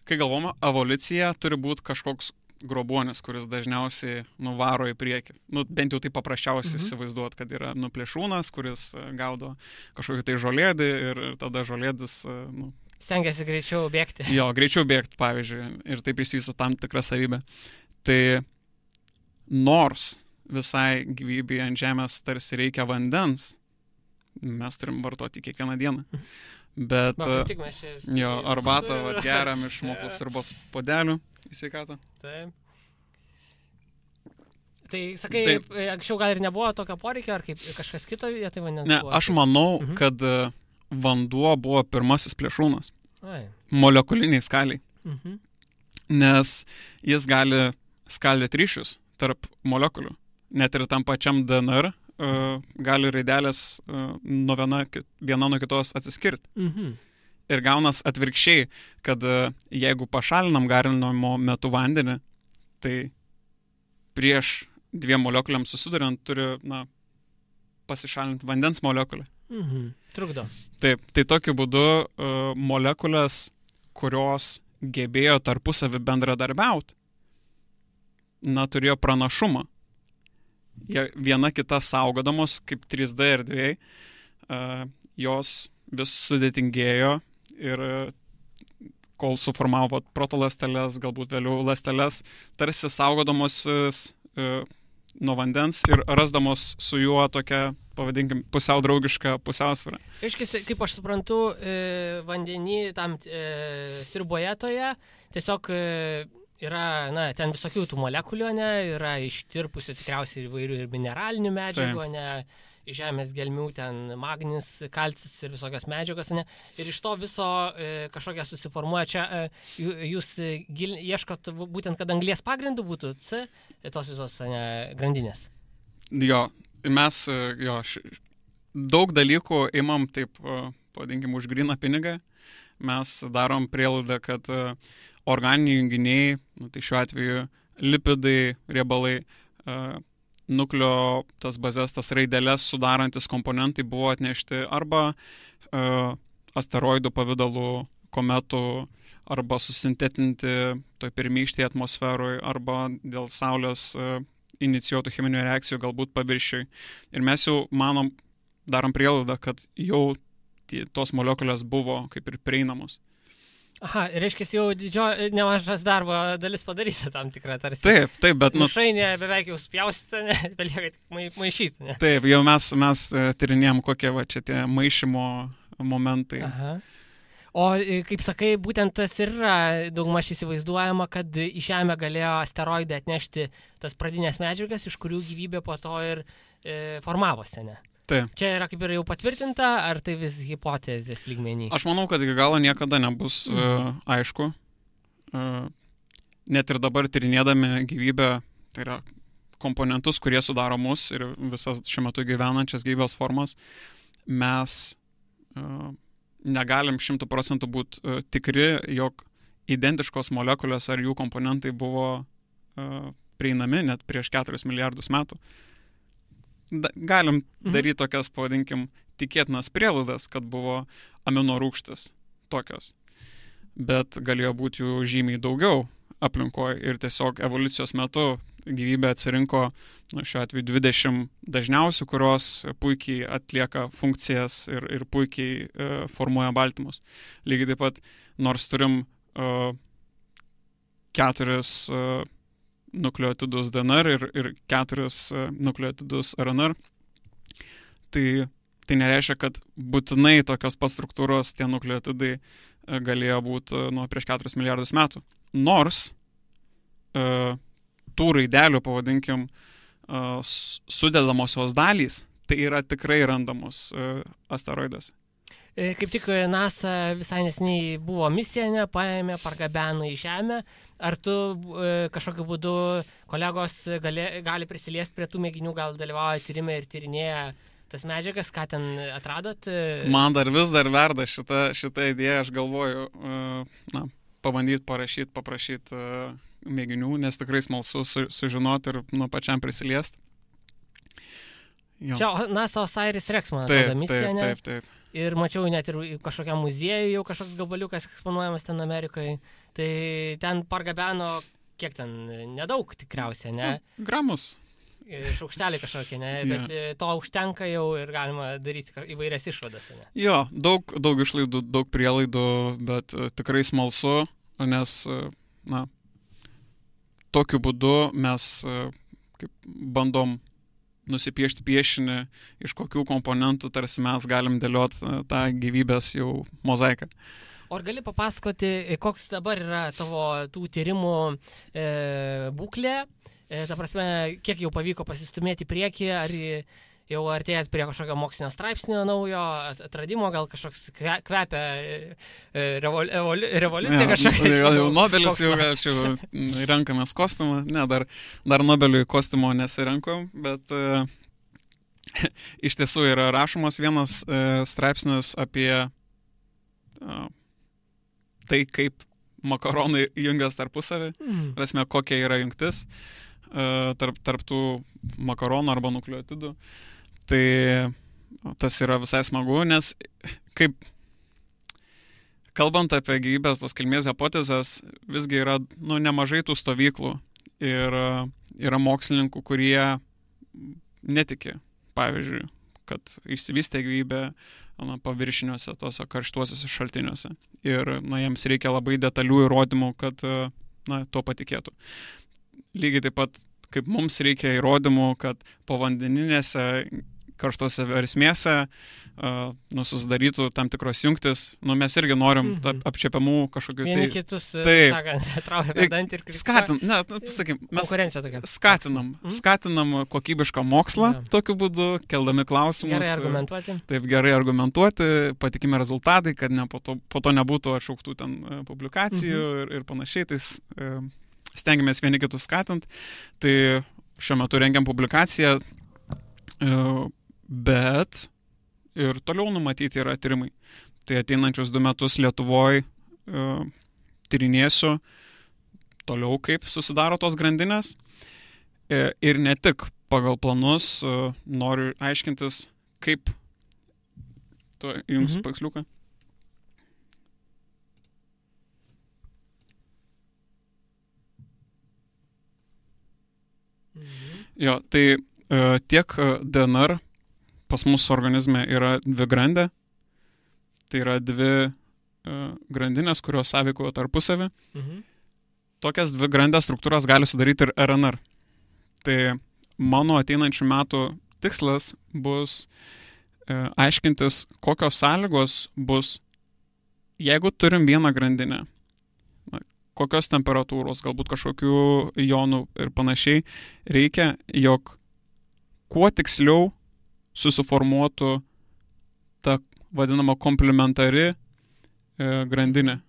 kai galvoma, evoliucija turi būti kažkoks grobuonis, kuris dažniausiai nuvaro į priekį. Bent jau tai paprasčiausiai įsivaizduot, kad yra plėšrūnas, kuris gaudo kažkokį tai žolėdį ir tada žolėdis... Stengiasi greičiau bėgti. Jo, greičiau bėgti, pavyzdžiui, ir taip išsivysto tam tikrą savybę. Tai nors visai gyvybei ant Žemės tarsi reikia vandens, mes turim vartoti kiekvieną dieną. Bet jo, arbatą geriam iš moklos sriubos puodelių į sveikatą. Taip. Tai sakai, anksčiau gal ir nebuvo tokio poreikio, ar kaip kažkas kito vietoj vandens buvo? Ne, aš manau, kad vanduo buvo pirmasis plėšrūnas. Molekuliniai skaliai. Nes jis gali skaldyti ryšius tarp molekulių. Net ir tam pačiam DNR gali raidelės viena nuo kitos atsiskirti. Ir gaunas atvirkščiai, kad jeigu pašalinam garinimo metu vandenį, tai prieš dviem molekuliams susiduriant turi pasišalinti vandens molekulę. Trukdo. Taip, tai tokiu būdu molekulės, kurios gebėjo tarpusavį bendradarbiauti, turėjo pranašumą. Viena kita saugodamos, kaip 3D erdvėj, jos vis sudėtingėjo ir kol suformavo protoląsteles, galbūt vėliau ląsteles, tarsi saugodamos nuo vandens ir rasdamos su juo tokią, pavadinkim, pusiau draugišką pusiausvyrą. Reiškia, kaip aš suprantu, vandenį tam sriuboje toje tiesiog yra, ten visokių tų molekulių, yra ištirpusių tikriausiai įvairių ir mineralinių medžiagų, žemės gelmių, ten magnis, kalcis ir visokios medžiagos, ir iš to viso kažkokia susiformuoja. Čia jūs ieškot būtent, kad anglies pagrindų būtų C, tos visos grandinės. Jo, mes daug dalykų imam taip, pavadinkim, už gryną pinigą. mes darom prielaidą, kad organiniai junginiai, tai šiuo atveju lipidai, riebalai, nukleo tas bazės, tas raideles sudarantis komponentai buvo atnešti arba asteroidų pavidalų, kometų, arba susintetinti toj pirmykštėje atmosferoje, arba dėl Saulės inicijuotų cheminių reakcijų galbūt paviršiui. Ir mes jau darom prielaidą, kad jau tos molekulės buvo kaip ir prieinamos. Aha, reiškia, jau nemažas darbo dalis padarysi tam tikrą tarsi. Taip, bet... Mišrainė beveik jau spjausite, belieka tik maišyti, ne? Taip, jau mes tyrinėjom, kokie čia tie maišymo momentai. Aha. O, kaip sakai, būtent tas ir yra daugmaž įsivaizduojama, kad į Žemę galėjo asteroidai atnešti tas pradinės medžiagas, iš kurių gyvybė po to ir formavosi, ne? Taip. Čia yra kaip ir jau patvirtinta, ar tai vis hipotezės lygmenį? Aš manau, kad iki galo niekada nebus aišku. Net ir dabar tyrinėdami gyvybę, tai yra komponentus, kurie sudaro mus ir visas šiuo metu gyvenančias gyvybės formas, mes negalim 100% būti tikri, jog identiškos molekulės ar jų komponentai buvo prieinami net prieš 4 milijardus metų. Galim daryti tokias, pavadinkim, tikėtinas prielaidas, kad buvo amino rūgštis tokios. Bet galėjo būti jų žymiai daugiau aplinkoje ir tiesiog evoliucijos metu gyvybė atsirinko, šiuo atveju 20 dažniausių, kurios puikiai atlieka funkcijas ir puikiai formuoja baltymus. Lygiai taip pat, nors turim 4 nukleotidus DNR ir 4 nukleotidus RNR, tai nereiškia, kad būtinai tokios pats struktūros tie nukleotidai galėjo būti nuo prieš 4 milijardus metų. Nors tų raidelių, pavadinkim, sudedamosios dalys, tai yra tikrai randamos asteroiduose. Kaip tik NASA visai nesiniai buvo misija, paėmė, pargabeno į Žemę. Ar tu kažkokiu būdu kolegos gali prisiliesti prie tų mėginių, gal dalyvauja tyrime ir tyrinėja tas medžiagas, ką ten atradot? Man vis dar verda šita idėja, aš galvoju, pabandyti paprašyti mėginių, nes tikrai smalsu sužinoti ir pačiam prisiliesti. Čia NASA Osiris Rex, man atrodo, misija, ne? Taip. Ir mačiau net ir kažkokiam muziejui jau kažkoks gabaliukas eksponuojamas ten Amerikoje. Tai ten pargabeno, kiek ten, nedaug tikriausiai, ne? Gramus. Šaukšteliai kažkokie, ne? Bet to užtenka jau ir galima daryti įvairias išvadas, ne? Jo, daug išlaidų, daug prielaidų, bet tikrai smalsu, nes, tokiu būdu mes bandom nusipiešti piešinį, iš kokių komponentų tarsi mes galim dėlioti tą gyvybės jau mozaiką. O ar gali papasakoti, koks dabar yra tavo tų tyrimų būklė? Ta prasme, kiek jau pavyko pasistumėti į priekį, ar jau artėjat prie kažkokio mokslinio straipsnio naujo, atradimo, gal kažkoks kvepia revoliucija kažkokia. Jau Nobelis jau renkamės kostiumą. Ne, dar Nobeliui kostiumo nesirenkom, bet iš tiesų yra rašomas vienas straipsnis apie tai, kaip makaronai jungias tarpusavį, prasme, kokia yra jungtis tarp tų makaronų arba nukleotidų. Tai tas yra visai smagu, nes kaip kalbant apie gyvybės tos kilmės hipotezės, visgi yra nemažai tų stovyklų ir yra mokslininkų, kurie netiki, pavyzdžiui, kad išsivystė gyvybė paviršiniuose, tose karštuosiuose šaltiniuose. Ir jiems reikia labai detalių įrodymų, kad tuo patikėtų. Lygiai taip pat, kaip mums reikia įrodymų, kad povandeninėse karštose versmėse susidarytų tam tikros jungtis. Mes irgi norim apčiapiamų kažkokių vieni kitus, sakant, traukia per dantį ir skatinam kokybišką mokslą tokiu būdu, keldami klausimus. Gerai argumentuoti. Taip, gerai argumentuoti, patikimi rezultatai, kad po to nebūtų atšauktų ten publikacijų ir panašiai. Tai stengiamės vieni kitus skatinti. Tai šiuo metu rengiam publikaciją, bet ir toliau numatyti yra tyrimai. tai ateinančius 2 metus Lietuvoje tyrinėsiu toliau, kaip susidaro tos grandinės. Ir ne tik pagal planus noriu aiškintis, kaip jums paveiksliuką. Jo, tai tiek DNR pas mūsų organizme yra dvigrandė, tai yra 2 grandinės, kurios sąveikoja tarpusavį. Tokias 2 grandės struktūras gali sudaryti ir RNR. Tai mano ateinančių metų tikslas bus aiškintis, kokios sąlygos bus, jeigu turim vieną grandinę, kokios temperatūros, galbūt kažkokių jonų ir panašiai, reikia, jog kuo tiksliau susiformuotų ta vadinama komplementari grandinė.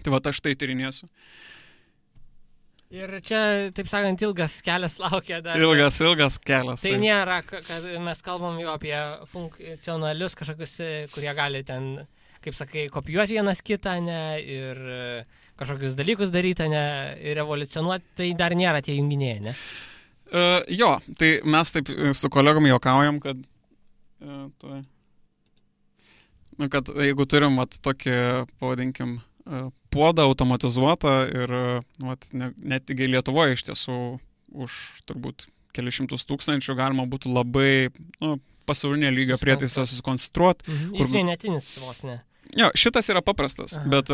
Tai va, aš tai tyrinėsiu. Ir čia, taip sakant, ilgas kelias laukia dar. Ilgas kelias. Tai nėra, kad mes kalbam jau apie funkcionalius kažkokius, kurie gali ten, kaip sakai, kopijuoti vienas kitą, ne, ir kažkokius dalykus daryti, ne, ir evoliucionuoti, tai dar nėra tie junginiai, ne? Jo, tai mes taip su kolegom juokaujam, kad jeigu turim tokį, pavadinkim, puodą automatizuotą ir netgi Lietuvoje iš tiesų už turbūt kelius šimtus tūkstančių galima būtų labai pasaulinio lygio prietaisą susikonstruoti. Jis vienetinis vos ne. Jo, šitas yra paprastas, bet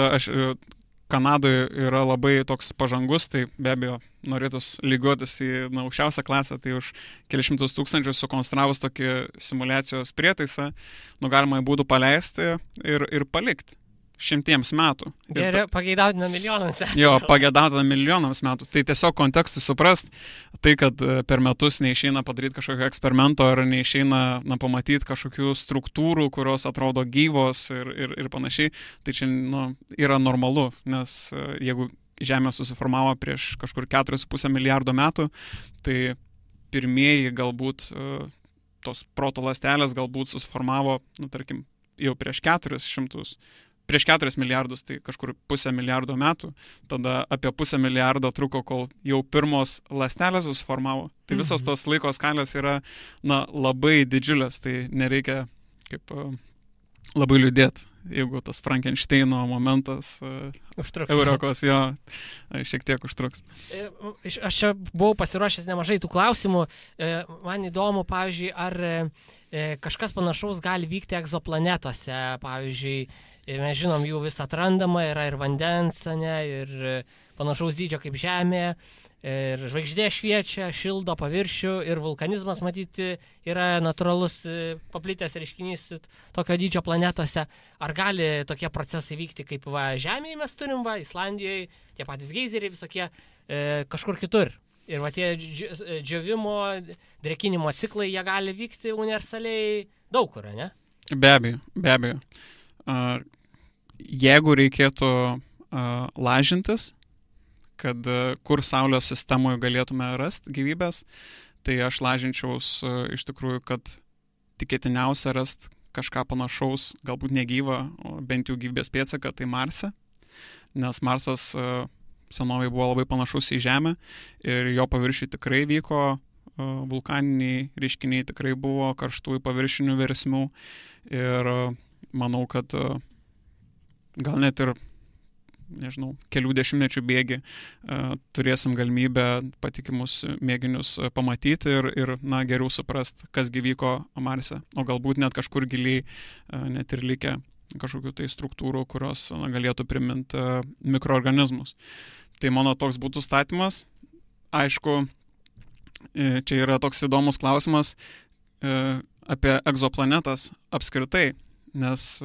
Kanadoje yra labai toks pažangus, tai be abejo norėtus lygiuotis į aukščiausią klasę, tai už kelius šimtus tūkstančių sukonstravus tokį simulacijos prietaisą, galima būtų paleisti ir palikti 100 metų. Geriau pageidautina milijonams metų. Jo, pageidautina milijonams metų. Tai tiesiog kontekstui suprast, tai kad per metus neišeina padaryti kažkokio eksperimento ar neišeina pamatyti kažkokių struktūrų, kurios atrodo gyvos ir panašiai, tai čia yra normalu, nes jeigu Žemė susiformavo prieš kažkur 4,5 milijardo metų, tai pirmieji galbūt tos proto ląstelės galbūt susiformavo, tarkim, jau prieš 4 milijardus, tai kažkur 0,5 milijardo metų, tada apie 0,5 milijardo truko, kol jau pirmos ląstelės susiformavo. Tai visos tos laiko skalės yra labai didžiulės, tai nereikia kaip labai liūdėti, jeigu tas Frankensteino momentas Eurokos jo šiek tiek užtruks. Aš čia buvau pasiruošęs nemažai tų klausimų. Man įdomu, pavyzdžiui, ar kažkas panašaus gali vykti egzoplanetose, pavyzdžiui, mes žinom, jų vis atrandama, yra ir vandens, ne, ir panašaus dydžio kaip Žemė, ir žvaigždė šviečia, šildo paviršių, ir vulkanizmas, matyti, yra natūralus paplitęs reiškinys tokio dydžio planetose. Ar gali tokie procesai vykti kaip Žemėje mes turim, Islandijoje, tie patys geizeriai visokie, kažkur kitur? Ir tie džiovimo, drėkinimo ciklai, jie gali vykti universaliai daug kur, ne? Be abejo. Jeigu reikėtų lažintis, kad kur Saulės sistemoje galėtume rasti gyvybės, tai aš lažinčiaus iš tikrųjų, kad tikėtiniausia rasti kažką panašaus, galbūt negyvą, bent jau gyvybės pėdsaką, tai Marse, nes Marsas senovėje buvo labai panašus į Žemę ir jo paviršiui tikrai vyko vulkaniniai reiškiniai, tikrai buvo karštųjų paviršinių versmių ir manau, kad gal net ir, nežinau, kelių dešimtmečių bėgi turėsim galimybę patikimus mėginius pamatyti ir geriau suprast, kas vyko Marse, o galbūt net kažkur giliai net ir likę kažkokių tai struktūrų, kurios galėtų priminti mikroorganizmus. Tai mano toks būtų statymas. Aišku, čia yra toks įdomus klausimas apie egzoplanetas apskritai, nes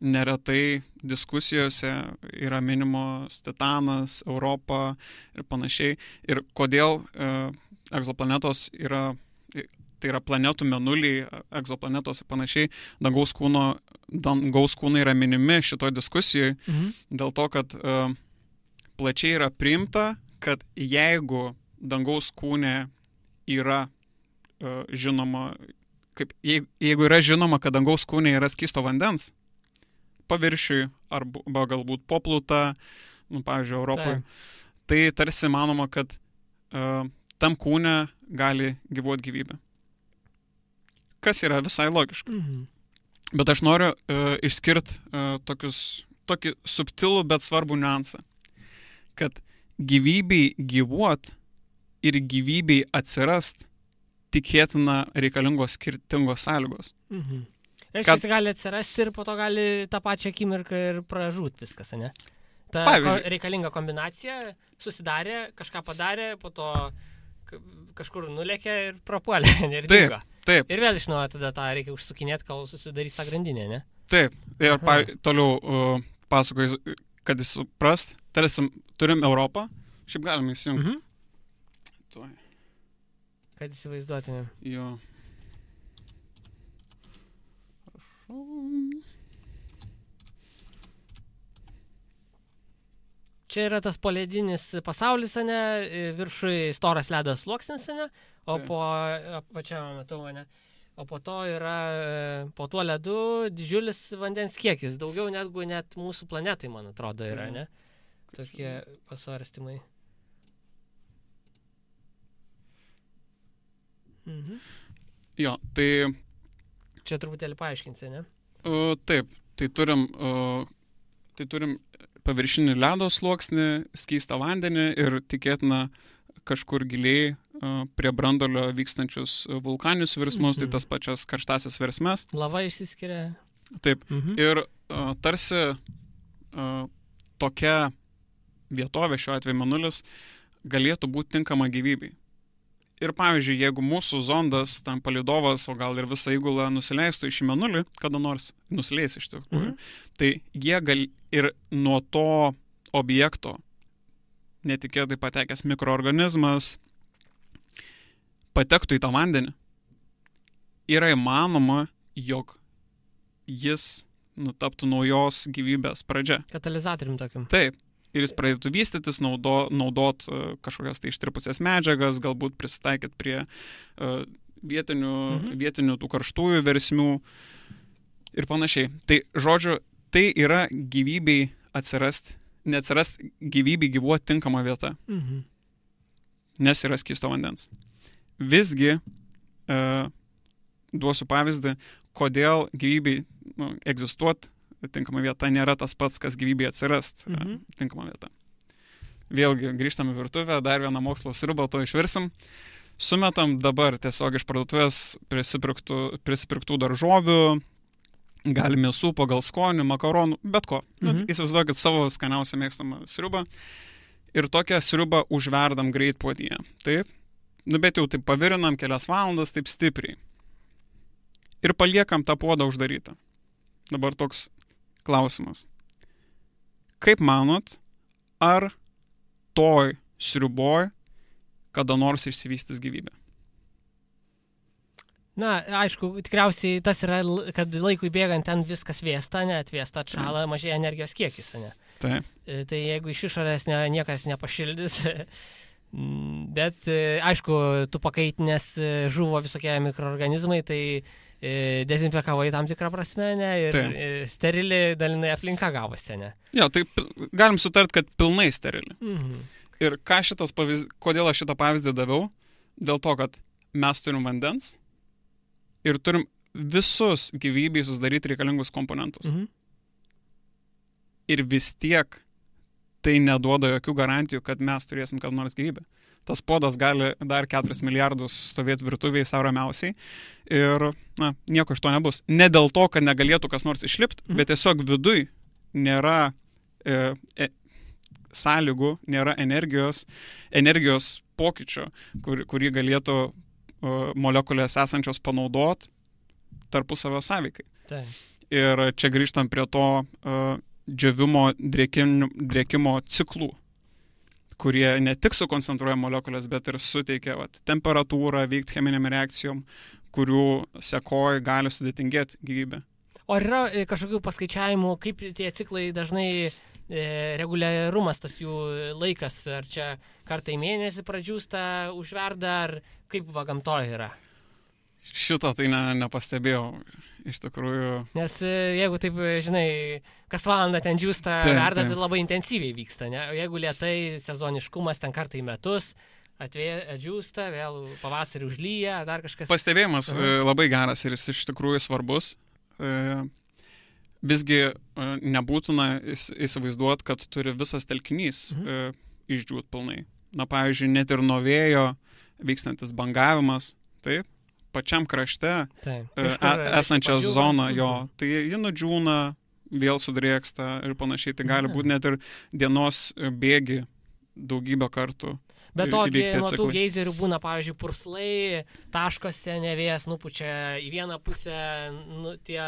neretai diskusijose yra minimos Titanas, Europa ir panašiai. Ir kodėl egzoplanetos yra, tai yra planetų mėnuliai, egzoplanetos ir panašiai, dangaus kūnai yra minimi šitoj diskusijoje, dėl to, kad plačiai yra priimta, kad jeigu dangaus kūne yra žinoma, jeigu yra žinoma, kad dangaus kūne yra skysto vandens, paviršiui arba galbūt poplūta, pavyzdžiui, Europoje. Tai tarsi manoma, kad tam kūne gali gyvuoti gyvybė. Kas yra visai logiška. Bet aš noriu išskirti tokį subtilų, bet svarbų niuansą. Kad gyvybei gyvuot ir gyvybei atsirast tikėtina reikalingos skirtingos sąlygos. Reiškia, gali atsirasti ir po to gali tą pačią akimirką ir pražūt viskas, ne? Ta reikalinga kombinacija susidarė, kažką padarė, po to kažkur nulėkė ir prapuolė, ir dingo. Taip. Ir vėl iš naujo tada tą reikia užsukinėti, kol susidarys tą grandinę, ne? Taip. Ir toliau pasakoju, kad jis suprast, tarsi turim Europą, šiaip galime įsijungti. Kad įsivaizduotumėm. Jo. Čia yra tas poledinis pasaulis, ne, viršui storas ledo sluoksnis, ne, o po to yra, po tuo ledu didžiulis vandens kiekis, daugiau negu net mūsų planetai, man atrodo, yra, ne, tokie pasvarstymai. Jo, tai... Čia truputėlį paaiškinsi, ne? Taip, tai turim paviršinį ledo sluoksnį, skystą vandenį ir tikėtina kažkur giliai prie branduolio vykstančius vulkaninius virsmus, tai tas pačias karštasias versmes. Lava išsiskiria. Taip, ir tarsi tokia vietovė, šiuo atveju Mėnulis, galėtų būti tinkama gyvybei. Ir pavyzdžiui, jeigu mūsų zondas, tam palydovas, o gal ir visa įgula nusileistų iš Mėnulį, kada nors nusileis iš tikrųjų, tai jie ir nuo to objekto netikėtai patekęs mikroorganizmas patektų į tą vandenį. Yra įmanoma, jog jis taptų naujos gyvybės pradžia. Katalizatorium tokiam. Taip. Ir jis pradėtų vystytis, naudot kažkokias tai ištirpusias medžiagas, galbūt prisitaikyti prie vietinių tų karštųjų versmių ir panašiai. Tai, žodžiu, tai yra gyvybei neatsirast gyvybei gyvuoti tinkama vieta, nes yra skysto vandens. Visgi, duosiu pavyzdį, kodėl gyvybei egzistuoti tinkama vieta nėra tas pats, kas gyvybėje atsirast tinkama vieta. Vėlgi, grįžtame į virtuvę, dar vieną mokslo sriubą, to išvirsim. Sumetam dabar tiesiog iš parduotuvės prisipirktų daržovių, gali mėsų pagal skonį, makaronų, bet ko. Įsivaizduokit savo skaniausią mėgstamą sriubą ir tokią sriubą užverdam greit puodyje. Taip? Bet jau taip pavirinam kelias valandas, taip stipriai. Ir paliekam tą puodą uždarytą. Dabar toks klausimas. Kaip manot, ar toj sriuboj kada nors išsivystys gyvybė? Na, aišku, tikriausiai tas yra, kad laikui bėgant ten viskas vėsta, atvėsta, atšala, mažėja energijos kiekis, ne? Taip. Tai jeigu iš išorės niekas nepašildys, bet aišku, tu pakaitinės žuvo visokie mikroorganizmai, tai dezinfekavai tam tikrą prasme, ne, ir sterili dalinai aplinka gavosi, ne. Jo, tai galim sutart, kad pilnai sterili. Ir kodėl aš šitą pavyzdį daviau? Dėl to, kad mes turim vandens ir turim visus gyvybei susidaryti reikalingus komponentus. Ir vis tiek tai neduoda jokių garantijų, kad mes turėsim kada nors gyvybę. Tas podas gali dar 4 milijardus stovėti virtuvėje sau ramiausiai ir nieko iš to nebus. Ne dėl to, kad negalėtų kas nors išlipti, bet tiesiog viduj nėra sąlygų, nėra energijos pokyčio, kurį galėtų molekulės esančios panaudoti tarpusavio sąveikai. Ir čia grįžtam prie to džiovimo drėkimo ciklų, kurie ne tik sukoncentruoja molekulės, bet ir suteikia temperatūrą, vykti cheminiam reakcijom, kurių sekoj gali sudėtingėti gyvybė. O yra kažkokių paskaičiavimų, kaip tie ciklai dažnai reguliarumas, tas jų laikas, ar čia kartą į mėnesį pradžiūsta, užverda, ar kaip gamtoje yra? Šito tai nepastebėjau iš tikrųjų. Nes jeigu taip, žinai, kas valandą ten džiūsta, verda, tai labai intensyviai vyksta, ne? O jeigu lietai, sezoniškumas ten kartą į metus, atdžiūsta, vėl pavasarį užlyja, dar kažkas. Pastebėjimas labai geras ir jis iš tikrųjų svarbus. Visgi nebūtina įsivaizduoti, kad turi visas telkinys išdžiūt pilnai. Na, pavyzdžiui, net ir nuo vėjo vykstantis bangavimas, taip, pačiam krašte esančią zoną jo, tai ji nudžiūna, vėl sudrėksta ir panašiai, tai gali būti net ir dienos bėgi daugybę kartų. Bet to, nuo tų geizerių būna, pavyzdžiui, purslai, taškose nevėjas nupučia į vieną pusę, tie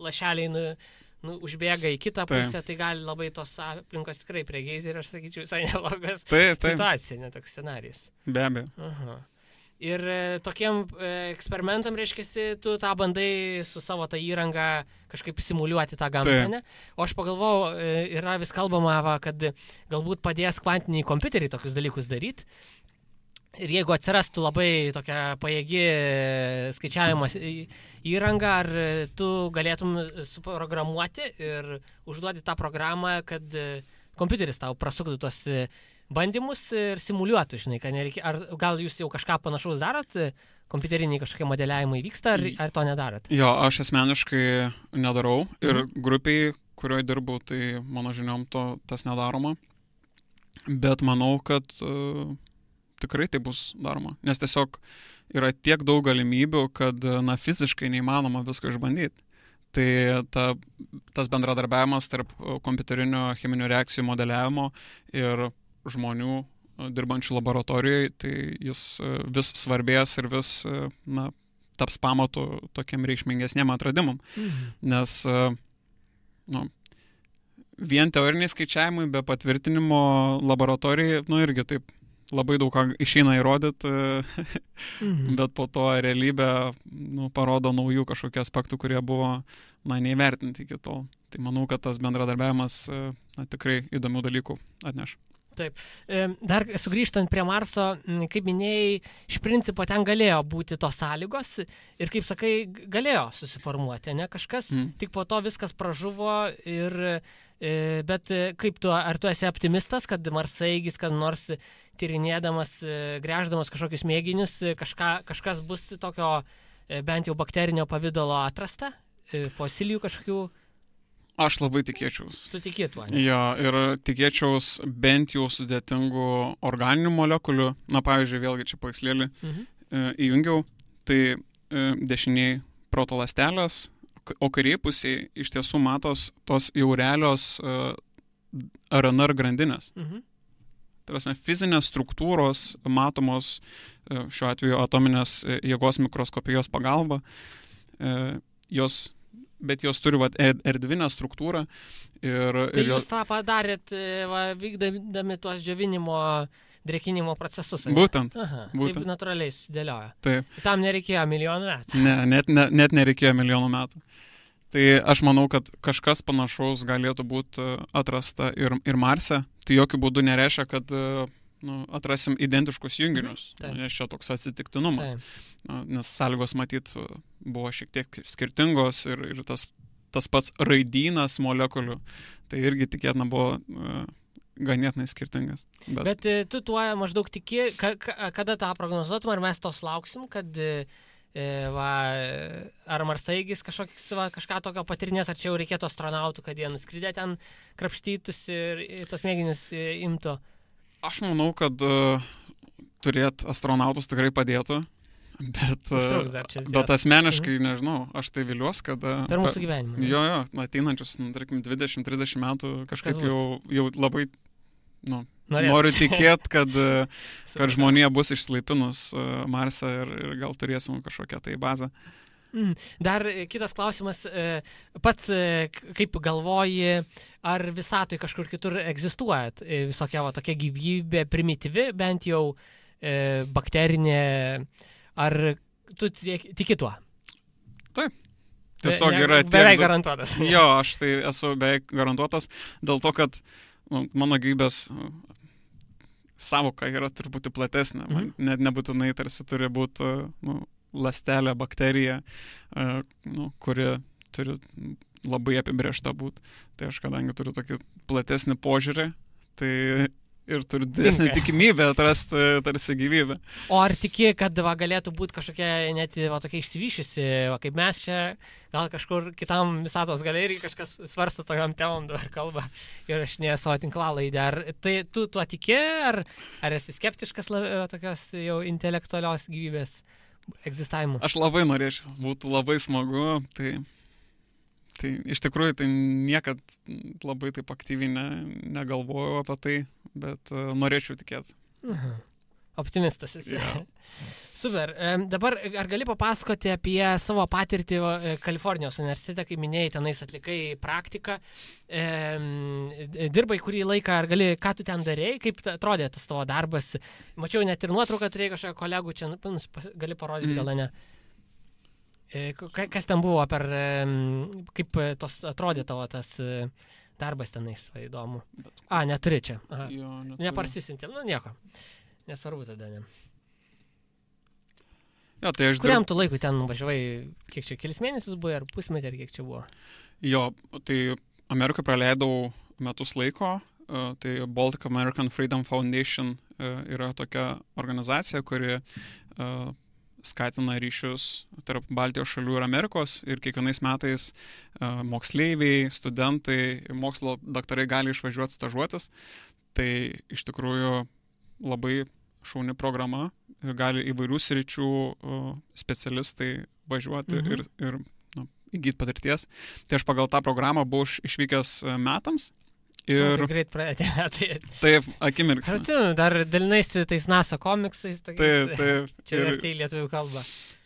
lašeliai užbėga į kitą pusę, tai gali labai tos aplinkos tikrai prie geizerių, aš sakyčiau, visai neblogas situacija, netoks scenarijus. Be abejo. Ir tokiem eksperimentam, reiškia, tu tą bandai su savo tą įrangą kažkaip simuliuoti tą gamtą, ne? O aš pagalvojau, yra vis kalbama, kad galbūt padės kvantiniai kompiuteriai tokius dalykus daryti. Ir jeigu atsirastų labai tokia pajėgi skaičiavimo įranga, ar tu galėtum suprogramuoti ir užduoti tą programą, kad kompiuteris tau prasuktų tos bandymus ir simuliuotų, žinai, kad nereikia. Ar gal jūs jau kažką panašaus darot? Kompiuteriniai kažkokie modeliavimai vyksta, ar to nedarot? Jo, aš asmeniškai nedarau ir grupiai, kurioje dirbu, tai mano žiniom tas nedaroma. Bet manau, kad tikrai tai bus daroma. Nes tiesiog yra tiek daug galimybių, kad fiziškai neįmanoma visko išbandyti. Tai tas bendradarbiavimas tarp kompiuterinio cheminių reakcijų modeliavimo ir žmonių dirbančių laboratorijoje, tai jis vis svarbės ir vis taps pamatu tokiem reikšmingesniem atradimam. Nes vien teoriniai skaičiavimai be patvirtinimo laboratorijai, irgi taip labai daug ką išeina įrodyti, bet po to realybė parodo naujų kažkokių aspektų, kurie buvo neįvertinti iki tol. Tai manau, kad tas bendradarbiavimas tikrai įdomių dalykų atneš. Taip. Dar sugrįžtant prie Marso, kaip minėjai, iš principo ten galėjo būti tos sąlygos ir, kaip sakai, galėjo susiformuoti, ne kažkas, tik po to viskas pražuvo bet kaip ar tu esi optimistas, kad marsaeigis, kad nors tyrinėdamas, gręždamas kažkokius mėginius, kažkas bus tokio bent jau bakterinio pavidalo atrasta, fosilijų kažkokių? Aš labai tikėčiaus. Tu tikėtų, ne? Jo, ir tikėčiaus bent jau sudėtingų organinių molekulių. Na, pavyzdžiui, vėlgi čia paveikslėlį įjungiau. Tai dešiniai protoląstelės, o kairėje pusėje iš tiesų matos tos jau realios RNR grandinės. Tai yra fizinės struktūros matomos šiuo atveju atominės jėgos mikroskopijos pagalba. Bet jos turi erdvinę struktūrą. Tai jūs tą padarėt, vykdami tuos džiovinimo, drėkinimo procesus? Būtent. Taip natūraliai sudėliojo. Taip. Tam nereikėjo milijonų metų. Ne, net nereikėjo milijonų metų. Tai aš manau, kad kažkas panašaus galėtų būti atrasta ir Marse. Tai jokių būdų nereiškia, kad atrasim identiškus junginius, nes čia toks atsitiktinumas. Nes sąlygos matyt buvo šiek tiek skirtingos ir tas pats raidynas molekulių, tai irgi tikėtina buvo ganėtinai skirtingas. Bet tu tuo maždaug tiki, kada tą prognozuotum, ar mes tos lauksim, kad ar marsaeigis kažką tokio patirinės, ar čia jau reikėtų astronautų, kad jie nuskridę ten krapštytus ir tos mėginius imtų? Aš manau, kad turėt astronautus tikrai padėtų, bet asmeniškai nežinau, aš tai viliuosi, kad per mūsų gyvenimą. Jo, ateinančius, tarkim, 20-30 metų kažkaip jau labai noriu tikėti, kad žmonija bus išsilaipinus Marse ir gal turėsim kažkokią tai bazę. Dar kitas klausimas, pats kaip galvoji, ar visatoj kažkur kitur egzistuoja visokia tokia gyvybė primityvi, bent jau bakterinė, ar tu tiki tuo? Taip. Tiesiog yra beveik garantuotas. Jo, aš tai esu beveik garantuotas, dėl to, kad mano gyvybės savoka yra truputį platesnė. Net nebūtinai tarsi turi būti ląstelė, bakterija, kuri turi labai apibrėžta būti. Tai aš kadangi turiu tokį platesnį požiūrį, tai ir turiu didesnį tikimybę atrasti tarsi gyvybę. O ar tiki, kad galėtų būti kažkokia net tokia išsivyšiusi, kaip mes čia, gal kažkur kitam visatos galerijai kažkas svarsto tokiam temom dabar kalba ir aš ne savo tinklalaidę. Ar tai tu tuo tiki, ar esi skeptiškas tokios jau intelektualios gyvybės egzistavimu? Aš labai norėčiau, būtų labai smagu, tai iš tikrųjų tai niekad labai taip aktyviai negalvojau apie tai, bet norėčiau tikėti. Optimistas esi. Yeah. Super. Dabar ar gali papasakoti apie savo patirtį Kalifornijos universitete, kai minėjai, tenais atlikai praktiką, dirbai kurį laiką, ar ką tu ten darėjai, kaip atrodė tas tavo darbas? Mačiau net ir nuotrauką turėjai kažkokią kolegų, čia gali parodyti, gal ne? Kas ten buvo kaip atrodė tavo tas darbas tenais, įdomu. Neturi čia. Neparsisiuntėm, nieko. Nesvarbu tada, ne. Jo, tai kuriam tu laikui ten važiavai, kiek čia, kelis mėnesius buvo, ar pusmetį, ar kiek čia buvo? Jo, tai Amerikoje praleidau metus laiko, tai Baltic American Freedom Foundation yra tokia organizacija, kuri skatina ryšius tarp Baltijos šalių ir Amerikos ir kiekvienais metais moksleiviai, studentai, mokslo daktarai gali išvažiuoti stažuotis. Tai iš tikrųjų labai šauni programa ir gali įvairių sričių specialistai važiuoti ir įgyti patirties. Tai aš pagal tą programą buvau išvykęs metams. Ir greit pradėti metai. Taip, akimirksniu. Aš atsimenu, dar dalinais tais NASA komiksais. Taip. Čia vertė į lietuvių kalbą.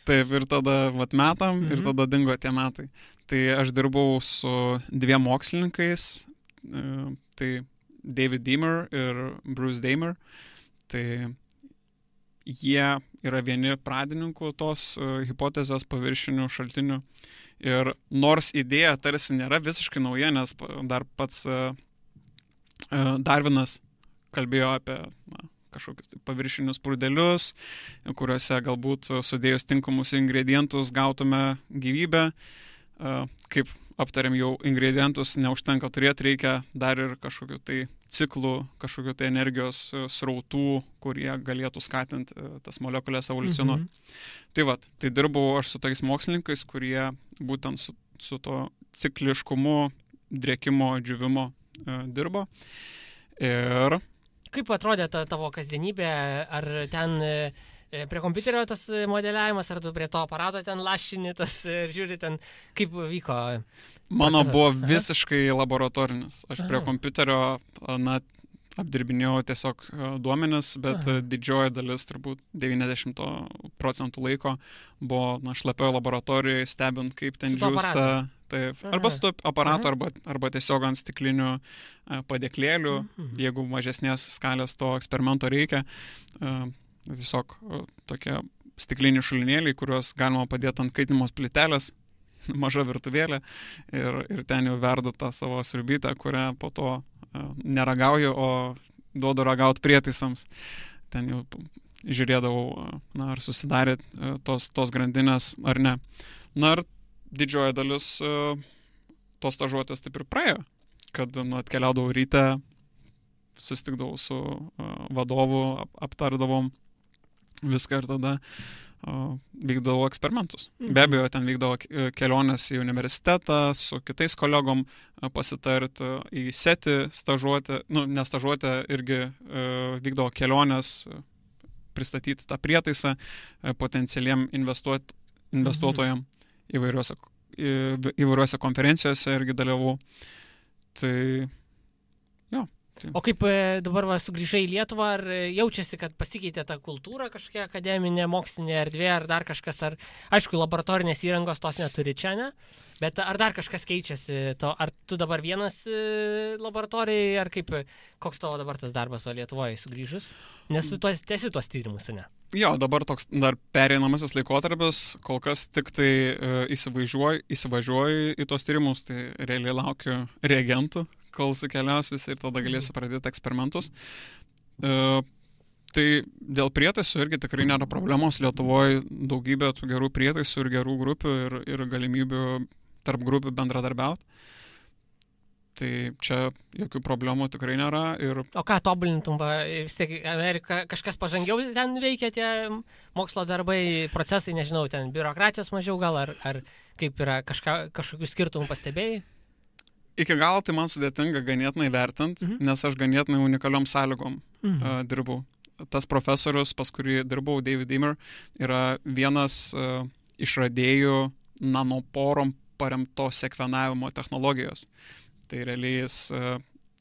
Taip, ir tada metam, ir tada dingo tie metai. Tai aš dirbau su 2 mokslininkais, tai David Deamer ir Bruce Damer. Tai jie yra vieni pradininkų tos hipotezės paviršinių šaltinių. Ir nors idėja tarsi nėra visiškai nauja, nes dar pats Darvinas kalbėjo apie kažkokius paviršinius prūdelius, kuriuose galbūt sudėjus tinkamus ingredientus gautume gyvybę. Kaip aptarėm jau, ingredientus neužtenka turėti, reikia dar ir kažkokių tai ciklų, kažkokių tai energijos srautų, kurie galėtų skatinti tas molekulės evoliucionuoti. Tai dirbau aš su tais mokslininkais, kurie būtent su to cikliškumu, drėkimo, džiūvimo dirbo. Ir kaip atrodė ta tavo kasdienybė? Ar ten prie kompiuterio tas modeliavimas, ar tu prie to aparato ten lašini tas ir žiūri ten, kaip vyko? Mano buvo visiškai laboratorinis. Aš prie kompiuterio apdirbinėjau tiesiog duomenis, bet didžioji dalis, turbūt 90% laiko buvo šlapioje laboratorijoje, stebint, kaip ten džiūsta. Taip, arba su aparatu, arba tiesiog ant stiklinių padėklėlių, jeigu mažesnės skalės to eksperimento reikia. Tiesiog tokie stikliniai šulinėliai, kuriuos galima padėti ant kaitinimos plytelės, maža virtuvėlė, ir ten jau verdu tą savo sriubytę, kurią po to neragauju, o duodu ragauti prietaisams. Ten jau žiūrėdavau, ar susidarė tos grandinės ar ne. Ir didžioji dalis tos stažuotės taip ir praėjo, kad atkeliaudavau ryte, susitikdavau su vadovu, aptardavom viską ir tada vykdavo eksperimentus. Be abejo, ten vykdavo kelionės į universitetą, su kitais kolegom pasitarti, į SETI stažuotę, ne stažuotę, irgi vykdavo kelionės, pristatyti tą prietaisą potencialiem investuotojam įvairiuose konferencijose irgi dalyvau. Tai jo. O kaip dabar sugrįžai į Lietuvą, ar jaučiasi, kad pasikeitė ta kultūra kažkokia akademinė, mokslinė erdvė, ar dar kažkas, ar aišku, laboratorinės įrangos tos neturi čia, ne? Bet ar dar kažkas keičiasi, ar tu dabar vienas laboratorijai, ar koks tavo dabar tas darbas Lietuvoje sugrįžus? Nes tu tęsi tuos tyrimus, ne? Jo, dabar toks dar pereinamasis laikotarpis, kol kas tik tai įsivažiuoju į tos tyrimus, tai realiai laukiu reagentų, kol sukeliaus visi ir tada galėsiu pradėti eksperimentus. Tai dėl prietaisų irgi tikrai nėra problemos. Lietuvoje daugybė tų gerų prietaisų ir gerų grupių ir galimybių tarp grupių bendradarbiauti. Tai čia jokių problemų tikrai nėra. O ką tobulintum, vis tiek Amerika kažkas pažangiau ten veikia tie mokslo darbai, procesai, nežinau, ten biurokratijos mažiau gal, ar kaip yra, kažkokių skirtumų pastebėjai? Iki galo tai man sudėtinga ganėtinai vertinti, nes aš ganėtinai unikaliom sąlygom dirbau. Tas profesorius, pas kurį dirbau, David Deamer, yra vienas išradėjų nanoporom paremto sekvenavimo technologijos. Tai realiai jis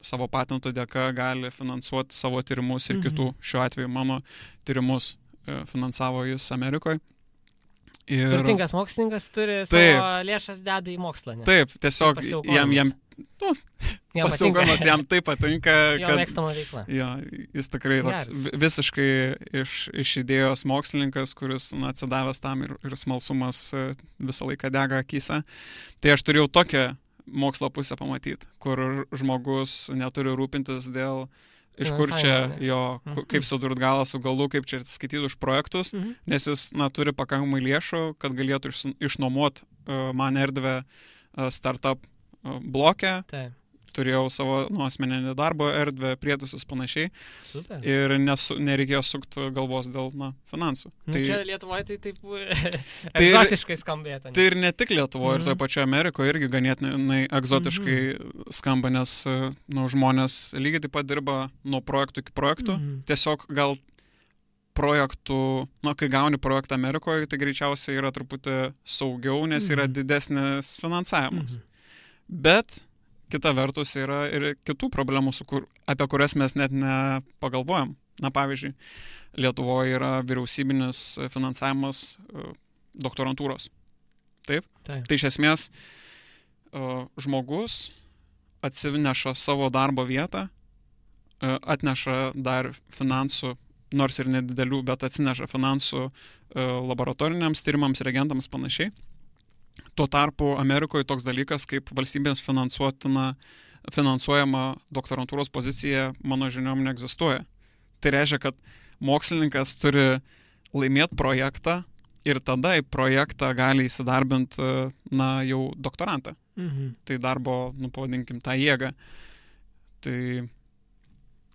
savo patentų dėka gali finansuoti savo tyrimus ir kitų. Šiuo atveju mano tyrimus finansavo jis Amerikoje. Turtingas mokslininkas turi savo lėšas deda į mokslą. Ne? Taip, tiesiog jam pasiaukojimas jam taip patinka, jo mėgstama veikla. Jo, jis tikrai toks visiškai iš idėjos mokslininkas, kuris atsidavęs tam ir smalsumas visą laiką dega akyse. Tai aš turėjau tokią mokslo pusę pamatyti, kur žmogus neturi rūpintis dėl iš kur čia jo, kaip sudurt galą su galu, kaip čia skaityti už projektus, nes jis turi pakankamai lėšų, kad galėtų išnuomoti man erdvę startup bloke. Taip. Turėjau savo asmeninį darbo erdvę, prietaisus panašiai. Super. Ir nereikėjo sukti galvos dėl finansų. Čia Lietuvoje tai taip egzotiškai skambėtų. Tai ir ne tik Lietuvoje, ir toje pačioje Amerikoje irgi ganėtinai egzotiškai skamba, nes žmonės lygiai taip pat dirba nuo projektų iki projektų. Tiesiog gal projektų, kai gauni projektą Amerikoje, tai greičiausiai yra truputį saugiau, nes yra didesnis finansavimas. Bet kita vertus yra ir kitų problemų, apie kurias mes net nepagalvojam. Pavyzdžiui, Lietuvoje yra vyriausybinis finansavimas doktorantūros. Taip? Tai iš esmės žmogus atsineša savo darbo vietą, atneša dar finansų, nors ir nedidelių, bet atsineša finansų laboratoriniams tyrimams, reagentams panašiai. Tuo tarpu Amerikoje toks dalykas kaip valstybės finansuojama doktorantūros pozicija mano žiniom neegzistuoja. Tai reiškia, kad mokslininkas turi laimėti projektą ir tada į projektą gali įsidarbinti jau doktorantą. Tai darbo, pavadinkim, tą jėgą. Tai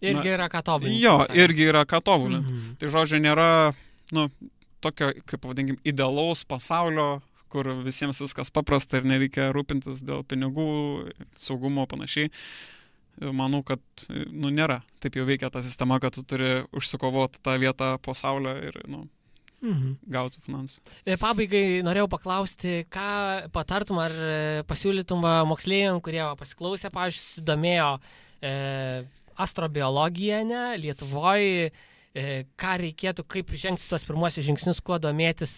irgi yra ką tobulinti. Jo, irgi yra ką tobulinti. Tai žodžiu, nėra tokio, kaip pavadinkim, idealaus pasaulio, kur visiems viskas paprasta ir nereikia rūpintis dėl pinigų, saugumo panašiai. Manau, kad nėra. Taip jau veikia ta sistema, kad tu turi užsikovoti tą vietą po saulę ir gauti finansų. Pabaigai norėjau paklausti, ką patartum ar pasiūlytum moksleiviam, kurie pasiklausė, pavyzdžiui, susidomėjo astrobiologiją Lietuvoje, ką reikėtų, kaip žengti tuos pirmuosius žingsnius, kuo domėtis,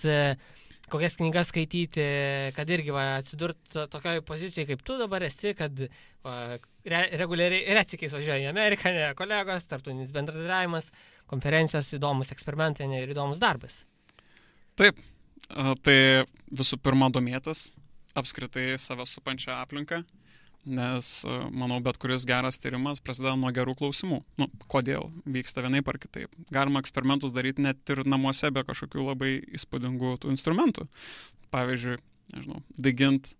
kokias knygas skaityti, kad irgi atsidurt tokioj pozicijoje, kaip tu dabar esi, kad reguliariai retsykiais važiuoja į Ameriką, kolegos, tarptautinis bendradarbiavimas, konferencijos, įdomus eksperimentai ir įdomus darbas. Taip, tai visų pirma domėtis apskritai save supančią aplinką, nes, manau, bet kuris geras tyrimas prasideda nuo gerų klausimų. Kodėl vyksta vienaip ar kitaip. Galima eksperimentus daryti net ir namuose be kažkokių labai įspūdingų tų instrumentų. Pavyzdžiui, daigint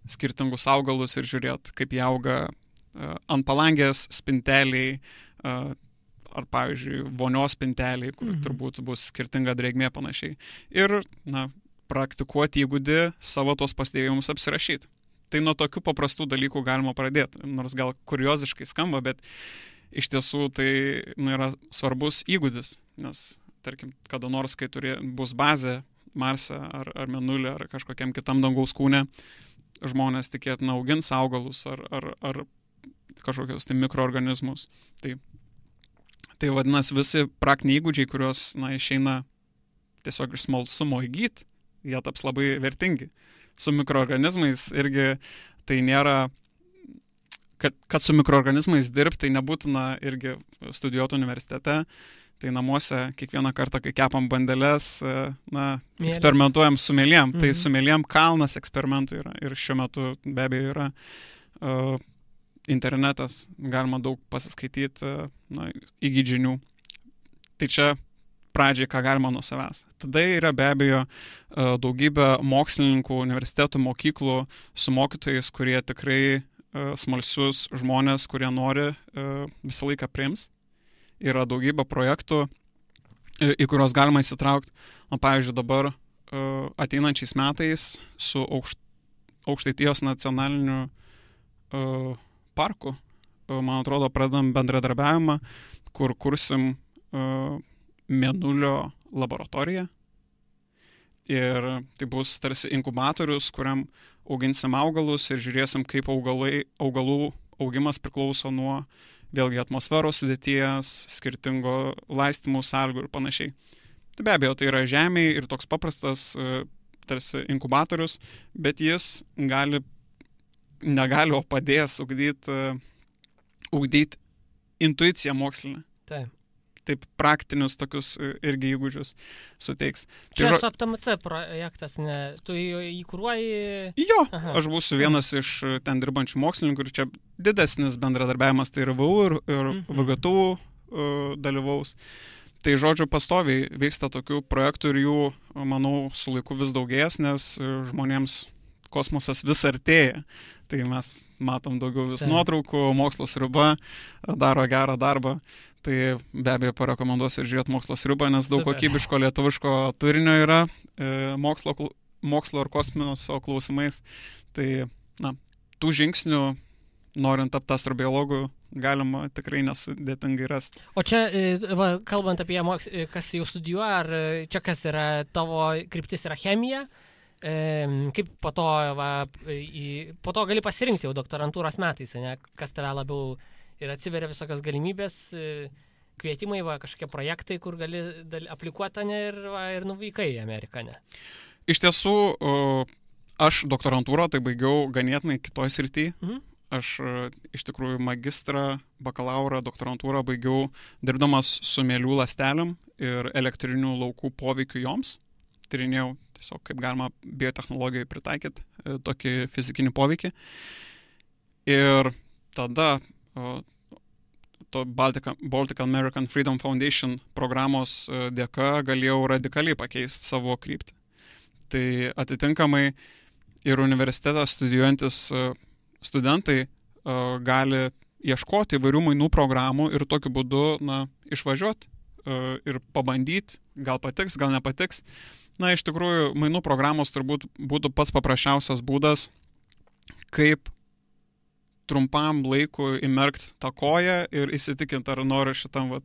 skirtingus augalus ir žiūrėti, kaip jie auga ant palangės spinteliai, ar, pavyzdžiui, vonios spinteliai, kur turbūt bus skirtinga drėgmė panašiai. Ir, praktikuoti įgūdį savo tos pastebėjimus apsirašyti. Tai nuo tokių paprastų dalykų galima pradėti, nors gal kurioziškai skamba, bet iš tiesų tai yra svarbus įgūdis, nes, tarkim, kada nors, kai bus bazė Marse ar Mėnulį ar kažkokiam kitam dangaus kūne, žmonės tikėtina augins augalus ar kažkokios tai mikroorganizmus. Tai vadinasi, visi praktiniai įgūdžiai, kuriuos išeina tiesiog iš smalsumo įgyti, jie taps labai vertingi. Su mikroorganizmais irgi tai nėra, kad su mikroorganizmais dirbti, tai nebūtina irgi studijuoti universitete, tai namuose kiekvieną kartą, kai kepam bandeles, eksperimentuojam su mėlėm. Tai su mėlėm kalnas eksperimentų yra ir šiuo metu be abejo yra internetas, galima daug pasiskaityti įgyti žinių. Tai čia pradžiai, ką galima nuo savęs. Tada yra be abejo daugybė mokslininkų, universitetų, mokyklų su mokytojais, kurie tikrai smalsius žmonės, kurie nori visą laiką priims. Yra daugybė projektų, į kuriuos galima įsitraukti. Pavyzdžiui, dabar ateinančiais metais su Aukštaitijos nacionaliniu parku, man atrodo, pradedam bendradarbiavimą, kur kursim mėnulio laboratoriją. Ir tai bus tarsi inkubatorius, kuriam auginsim augalus ir žiūrėsim, kaip augalų augimas priklauso nuo vėlgi atmosferos sudėties, skirtingo laistymų sąlygų ir panašiai. Tai be abejo, tai yra žemėje ir toks paprastas tarsi inkubatorius, bet jis negali, o padės ugdyti intuiciją mokslinę. Taip praktinius tokius irgi įgūdžius suteiks. Čia su APTMC projektas, tu jį kuruoji? Jo, aš būsiu vienas iš ten dirbančių mokslininkų ir čia didesnis bendradarbiavimas, tai ir VU ir VGTU dalyvaus. Tai žodžiu, pastoviai vyksta tokių projektų ir jų, manau, su laiku vis daugės, nes žmonėms kosmosas vis artėja. Tai mes matom daugiau vis nuotraukų, mokslo sriuba daro gerą darbą. Tai be abejo parekomenduosiu ir žiūrėti mokslo sriubą, nes daug kokybiško lietuviško turinio yra mokslo ir kosmoso klausimais. Tai, tų žingsnių, norint tapti astrobiologu, galima tikrai nesudėtingai rasti. O čia, kalbant apie kas jau studijuoja, ar čia kas yra, tavo kryptis yra chemija? Kaip po to gali pasirinkti jau doktorantūros metais, ne? Kas tave labiau ir atsiveria visokios galimybės, kvietimai, kažkokie projektai, kur gali aplikuoti ir nuvykai į Ameriką, ne? Iš tiesų, aš doktorantūrą tai baigiau ganėtinai kitoj srity. Aš iš tikrųjų magistrą, bakalaurą, doktorantūrą baigiau dirbdamas su mielių ląstelėm ir elektrinių laukų poveikiu joms. Tyrinėjau tiesiog, kaip galima biotechnologijai pritaikyti tokį fizikinį poveikį. Ir tada to Baltic American Freedom Foundation programos dėka galėjau radikaliai pakeisti savo kryptį. Tai atitinkamai ir universitetą studijuojantis studentai gali ieškoti įvairių mainų programų ir tokiu būdu išvažiuoti ir pabandyti, gal patiks, gal nepatiks. Iš tikrųjų, mainų programos turbūt būtų pats paprasčiausias būdas, kaip trumpam laiku įmerkti tą koją ir įsitikinti, ar noriu šitam,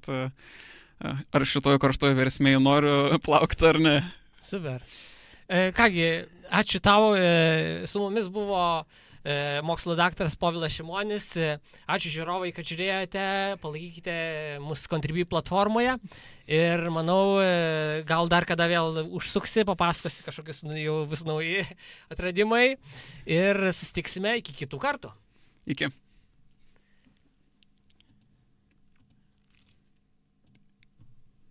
ar šitoje karštoje versmėje noriu plaukti ar ne. Super. Kągi, ačiū tau, su mumis buvo mokslo daktaras Povilas Šimonis. Ačiū žiūrovai, kad žiūrėjote, palaikykite mūsų Contribui platformoje ir manau, gal dar kada vėl užsuksi, papasakosi kažkokius jau vis nauji atradimai ir susitiksime iki kitų kartų. Iki.